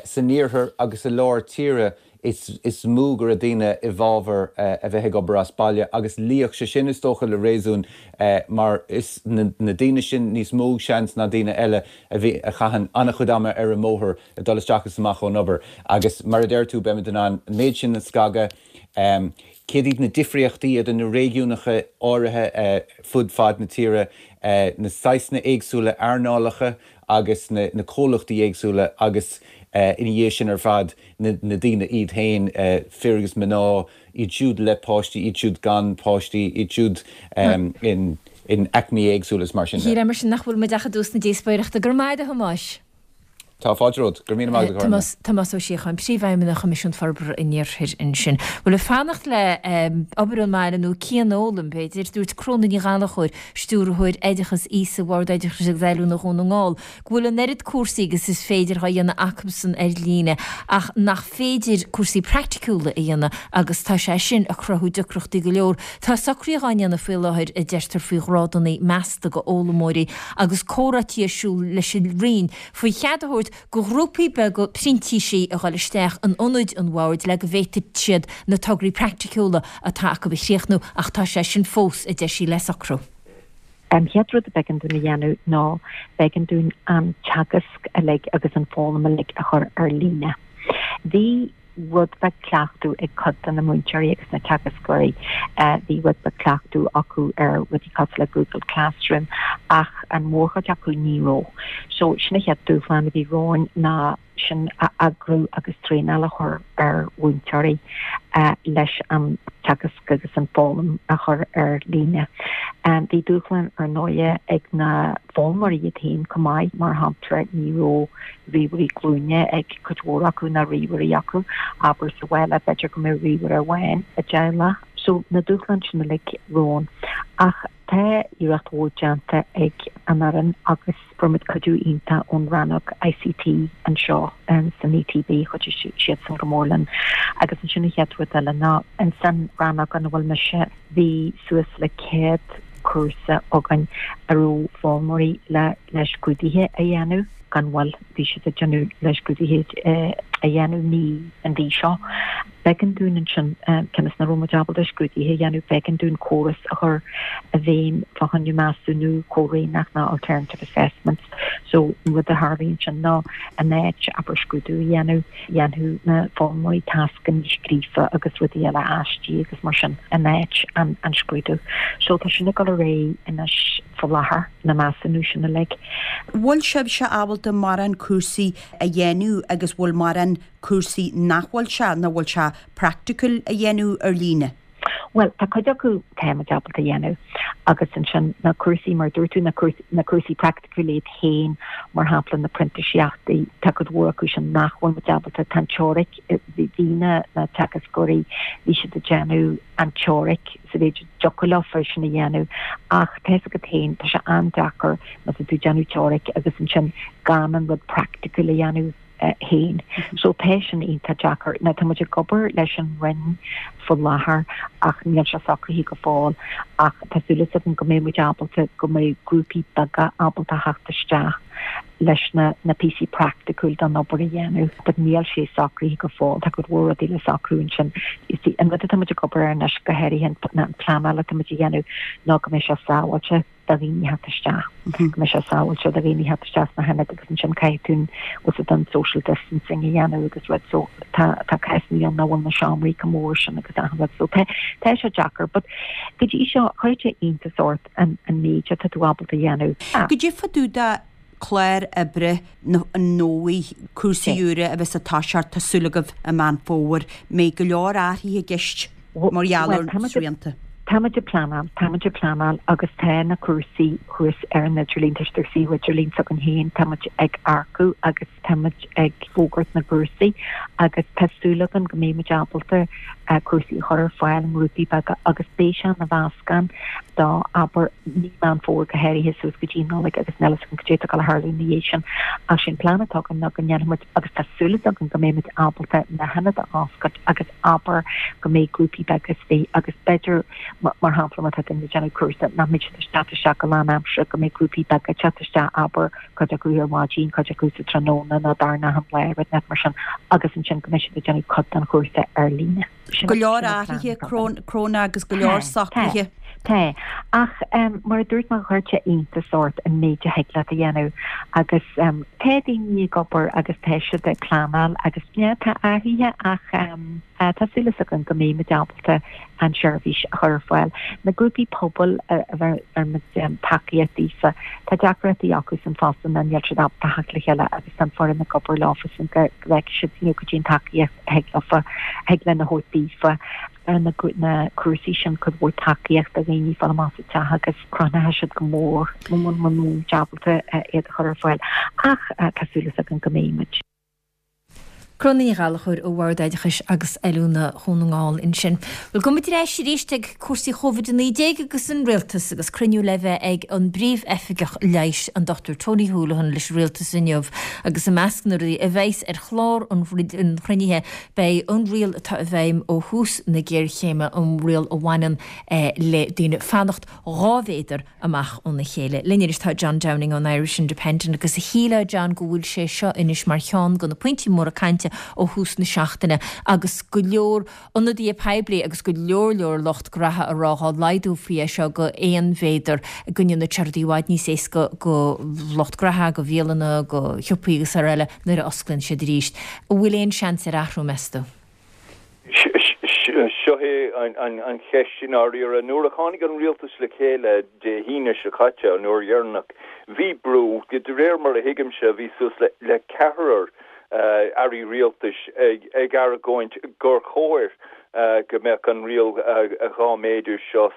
san iarthar agus i lár tíre is mó go raibh daoine i bhfabhar a bheith ag obair as baile agus luífeadh sé sin is dócha le réasún mar is na daoine sin níos mó seans ná daoine eile a bhí a chaitheann an-chuid ama ar an mbóthar ag dul isteach is amach ón obair agus mar a deir tú beimid in ann an méid sin a scagadh. Céard iad na difríochtaí idir na réigiúnacha áirithe fud fad na tíre, na saghsanna éagsúla earnálacha agus na comhlachtaí éagsúla agus ina dhiaidh sin ar fad na daoine iad féin, fir agus mná, iad siúd le páistí, iad siúd gan páistí, iad siúd in aicmí éagsúla is mar sin de. Shílfeá mar sin nach bhfuil muid ach i dtús na díospóireachta. Go raibh maith agat a Thomáis. Tá fáilte romhat. Go raibh míle maith agat, a Ghormlaith. Tomás Ó Síocháin, Príomhfheidhmeannach Choimisiún Forbartha an Iarthair ansin. Bhuel, ag fanacht le obair ón mbaile nó cianfhoghlaim, b'fhéidir, dúirt Cróna Ní Ghallchóir, Stiúrthóir Oideachas Aosaigh Bhord Oideachais agus Oiliúna Dhún na nGall, go bhfuil an oiread cúrsaí agus is féidir á dhéanamh acusan ar líne ach nach féidir cúrsaí praiticiúla a dhéanamh agus tá sé sin ag cruthú deacrachtaí go leor. Tá socruithe á ndéanamh faoi láthair, a deirtear, faoi ghrádanna measta do fhoghlaimeoirí agus comhráití ar siúl leis an Roinn faoi chead a thabhairt do ghrúpaí beaga printísigh a dhul isteach in ionaid an Bhoird le go bhféadfaidh siad na tograí praiticiúla atá acu a chríochnú ach tá sé sin fós, a deir sí, le socrú. An chéad rud a b'éigean dúinn a dhéanamh ná b'éigean dúinn an teagasc uilig agus an foghlaim uilig a chur ar líne. Bhí rud beag cleachtadh ag cuid de na múinteoirí agus na teagascóirí. Bhí rud beag cleachtadh acu ar rudaí cosúil le Google Classroom ach an mhórchuid acu ní raibh. So sin an chéad dúshlán a bhí romhainn ná sin a eagrú agus traenáil a chur ar mhúinteoirí leis an teagasc agus an foghlaim a chur ar líne. Bhí dúshlán ar ndóighe ag na foghlaimeoirí iad féin chomh maith, mar shampla ní raibh ríomhairí glúine ag cuid mhór acu ná ríomhairí acu, abair sa bhaile, b'fhéidir go mbeadh ríomhaire amháin i dteaghlach. So na dúshláin sin uilig romhainn. Ach tá iarracht mhór déanta ag an fhoireann agus fuair muid cuidiú iontach ón rannóg ICT anseo san ETB, chuidigh siadsan go mór linn. Agus ansin an chéad rud eile ná insan rannóg ina bhfuil mise, bhí suas le 100 cúrsa againn a raibh foghlaimeoirí le. le scrúduithe a dhéanamh gan mhoill. Bhí siad ag déanamh le scrúduithe a dhéanamh mí an mhí seo. B'éigean dúinn ansin, cionn is nach raibh muid ábalta scrúduithe a dhéanamh, b'éigean dúinn córas a chur i bhfeidhm fá choinne measúnú comhréimneach nó alternative assessments. So, an rud a tharlaíonn ansin ná in áit, abair, scrúdú a dhéanamh, dhéanfadh na foghlaimeoirí tascanna scríofa agus rudaí eile, aistí agus mar sin, in áit an scrúdú. So, tá sin ag dul ar aghaidh anois faoi láthair, na measúnú sin uilig. Bhfuil sibhse ábalta mórán cúrsaí a dhéanamh agus bhfuil mórán cúrsaí nach bhfuil sé, nach bhfuil sé praiticiúil a dhéanamh ar líne? Bhuel, tá cuid acu tá muid ábalta a dhéanamh agus ansin na cúrsaí, mar a dúirt tú, na cúrsaí praiticiúla iad féin, mar shampla na printíseachtaí, tá cuid mhór acu sin nach bhfuil muid ábalta, tá an teoiric, bhí na teagascóirí, bhí siad ag déanamh an teoiric sa mhéid a dtiocfadh leofa sin a dhéanamh ach tá fhios agat féin, tá sé an-deacair má tá tú ag déanamh teoiric agus ansin gan an rud praiticiúil a dhéanamh. féin. So tá sin iontach deacair. Now tá muid ag obair leis an Roinn faoi láthair ach níl sé socraithe go fóill ach tá súil againn go mbeidh muid ábalta, go mbeidh grúpaí beaga ábalta theacht isteach leis na na píosaí praiticiúil don obair a dhéanamh but níl sé socraithe go fóill. Tá cuid mhór rudaí le socrú ansin. You see, an rud atá muid ag obair air anois go háirithe an pleanáil atá muid a dhéanamh ná go mbeidh sé sábháilte. do dhaoine theacht isteach, go mbeidh sé sábháilte do dhaoine theacht isteach sna hionaid agus ansin caithfidh tú bhfuil fhios agat an social distancing a dhéanamh agus rud so tá tá cásanna ann nach bhfuil na seomraí chomh mór sin agus achan rud so tá tá sé deacair but go dtí seo chuir sé iontas ort an an méid atá tú ábalta a dhéanamh. Goidé fá dtaobh de chlár oibre an fhómhair, cúrsaí úra a bheas ag toiseacht, tá súil agaibh i Meán Fómhair. Mbeidh go leor athruithe i gceist mar gheall ar na srianta. Táimid ag pleanáil, táimid ag pleanáil agus tá na cúrsaí thuas ar an idirlíon, tá siad ar suíomh idirlín s'againn féin, táimid ag earcú agus táimid ag fógairt na gcúrsaí agus tá súil againn go mbeidh muid ábalta cúrsaí a chur ar fáil i ngrúpaí beaga agus beidh sé ina mheascán do, abair, mí Meán Fómhair go háirithe suas go dtí an Nollaig agus níl fhios againn cad é atá ag dul a tharlú ina dhiaidh sin. Ach sé an plean atá againn ná go ndéanfaidh muid, agus tá súil againn go mbeidh muid ábalta na hionaid a oscailt agus abair go mbeidh grúpaí beaga istigh agus b'fhéidir, mar shampla, má tá duine ag déanamh cúrsa nach mbeidh siad ag teacht isteach go lánaimseartha, go mbeidh grúpaí beaga ag teacht isteach, abair, cuid acu ar maidin, cuid acu sa tráthnóna nó darna lá, rud inteacht mar sin, agus ansin go mbeidh siad ag déanamh cuid den chúrsa ar líne. Go leor athruithe, Cróna, agus go leor socruithe. Tá. Ach mar a dúirt mé, chuir sé iontas ort an méid a thig leat a dhéanamh agus tá daoine ag obair agus tá siad ag pleanáil agus yeah, tá athruithe ach tá súil againn go mbeidh muid ábalta an tseirbhís a chur ar fáil. Na grúpaí pobail a bhfuil muid tacaíocht daofa, tá deacrachtaí acusan fosta ná níl siad ábalta theacht le chéile agus tá an foireann ag obair leofasan go bhfeicfidh siad you know cad é an tacaíocht a thig leofa, a thig linn a thabhairt daofa ar na na cúrsaí sin cuid mhór tacaíocht do dhaoine fáil amach as a dteach agus crothnaithe siad go mór muna mbeidh muid ábalta iad a chur ar fáil ach tá súil againn go mbeidh muid. Cróna Ní Ghallchóir ó Bhord Oideachais agus Oiliúna Dhún na nGall ansin. Bhuel, gabhfaidh muid ar ais arís ag cúrsaí Covid-19 agus an Rialtas agus cruinniú le bheith ag an bPríomh-Oifigeach Leighis, an Dr Tony Holohan leis an Rialtas inniu agus i measc na rudaí a bheas ar chlár an chruinnithe beidh an riail atá i bhfeidhm ó thús na géarchéime, an riail a bhaineann le daoine fanacht 2 mhéadar amach óna chéile. Linn anois tá John Downing ón Irish Independent agus a shílfeá John go bhfuil sé seo anois mar cheann de na pointí móra cainte ó thús na seachtaine agus go leor ionadaithe poiblí agus go leor leor lucht graithe ag rá dhá laghdófaí é seo go aon mhéadar go ndéanfadh sé rudaí i bhfad níos éasca go lucht graithe, go bhialanna, go shiopaí agus araile nuair a osclaíonn siad arís. An bhfuil aon seans ar athrú meas tú? Seo é an cheist i ndáiríre. Nuair a tháinig an rialtas le chéile Dé hAoine seo caite, an uair dheireanach, bhí brú, de réir mar a thuigimse, bhí suas le ceathrar airí rialtais ag argóint gur chóir go mbeadh an riail 2 méadar seo,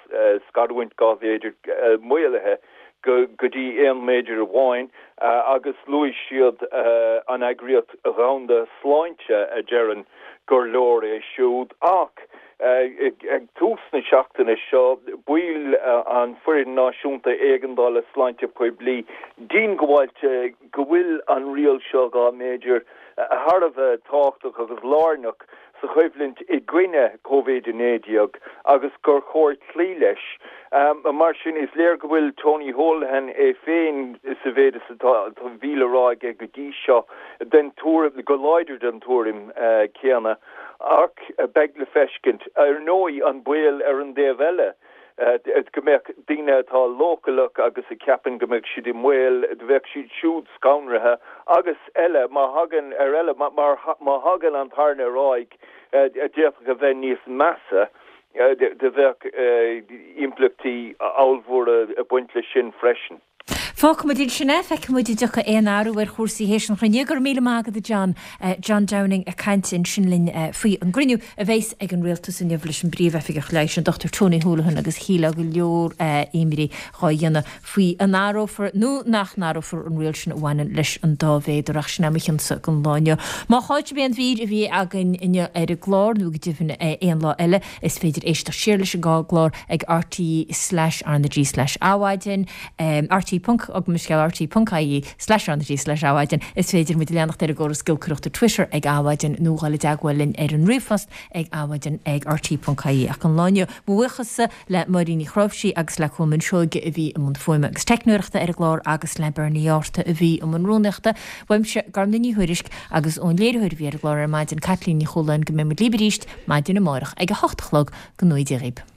scarúint 2 mhéadar, maolaithe go dtí aon méadar amháin agus luaigh siad an Eagraíocht Dhomhanda Sláinte a deireann gur leor é siúd. Ach ag tús na seachtaine seo, baill an Foireann Náisiúnta Éigeandála Sláinte Poiblí diongbháilte go bhfuil an riail seo 2 méadar thar a bheith tábhachtach agus lárnach. sa choimhlint i gcoinne Covid-19 agus gur chóir cloí leis. Mar sin, is léir go bhfuil Tony Holohan é féin, sa mhéid is atá a bhí le rá aige go dtí seo, den tuairim, go láidir den tuairim céanna. Ach beidh le feiscint. Ar ndóigh, an baol ar an dtaobh eile, go mbeadh daoine atá leochaileach agus a cheapann go mbeadh siad i mbaol, bheadh siad siúd scanraithe agus eile, má thagann, ar eile, má thagann an tairne ar aghaidh, a d'fhéadfadh a bheith níos measa, do bheadh impleachtaí ollmhóra ag baint leis sin freisin. Fágfaimid ansin é, feicfimid an dtiocfaidh aon athrú ar chúrsaí théis an chruinnithe. Go raibh míle maith agat a John. John Downing ag caint ansin linn faoi an gcruinniú a bheas ag an Rialtas inniu leis an bPríomh-Oifigeach Leighis, an Dr Tony Holohan agus shílfeá go leor imní dhá dhéanamh faoi an athrófar nó nach n-athrófar an riail sin a bhaineann leis an dá mhéadar ach sin é mo chionsa don lá inniu. Má chaill sibh aon mhír a bhí againn inniu ar an gclár nó go deimhin aon lá eile, Is féidir éisteacht siar leis an gclár ag rte slash RnaG slash Adhmhaidin, rte ponc, gabh mo leithscéal, rte ponc ie slash RnaG slash Adhmhaidin. Is féidir muid a leanacht ar an gcóras giolcaireachta Twitter ag Adhmhaidin nó dhul i dteagmháil linn ar an ríomhphost ag adhmaidin ag rte ponc ie. Ach don lá inniu, mo bhuíochas le Máirín Ní Chnáimhsí agus le Colmán Seoige a bhí i mbun fuaime agus teicneoireachta ar an gclár agus le Bernie Arthur a bhí i mbun rúnaíochta. Uaimse, Gormlaith Ní Thuairisg, agus ón léiritheoir a bhí ar an gclár ar maidin, Caitlín Ní Chualáin, go mbeidh muid libh arís Maidin amárach ag a hocht a chlog, go ngnóthaí Dia dhaoib.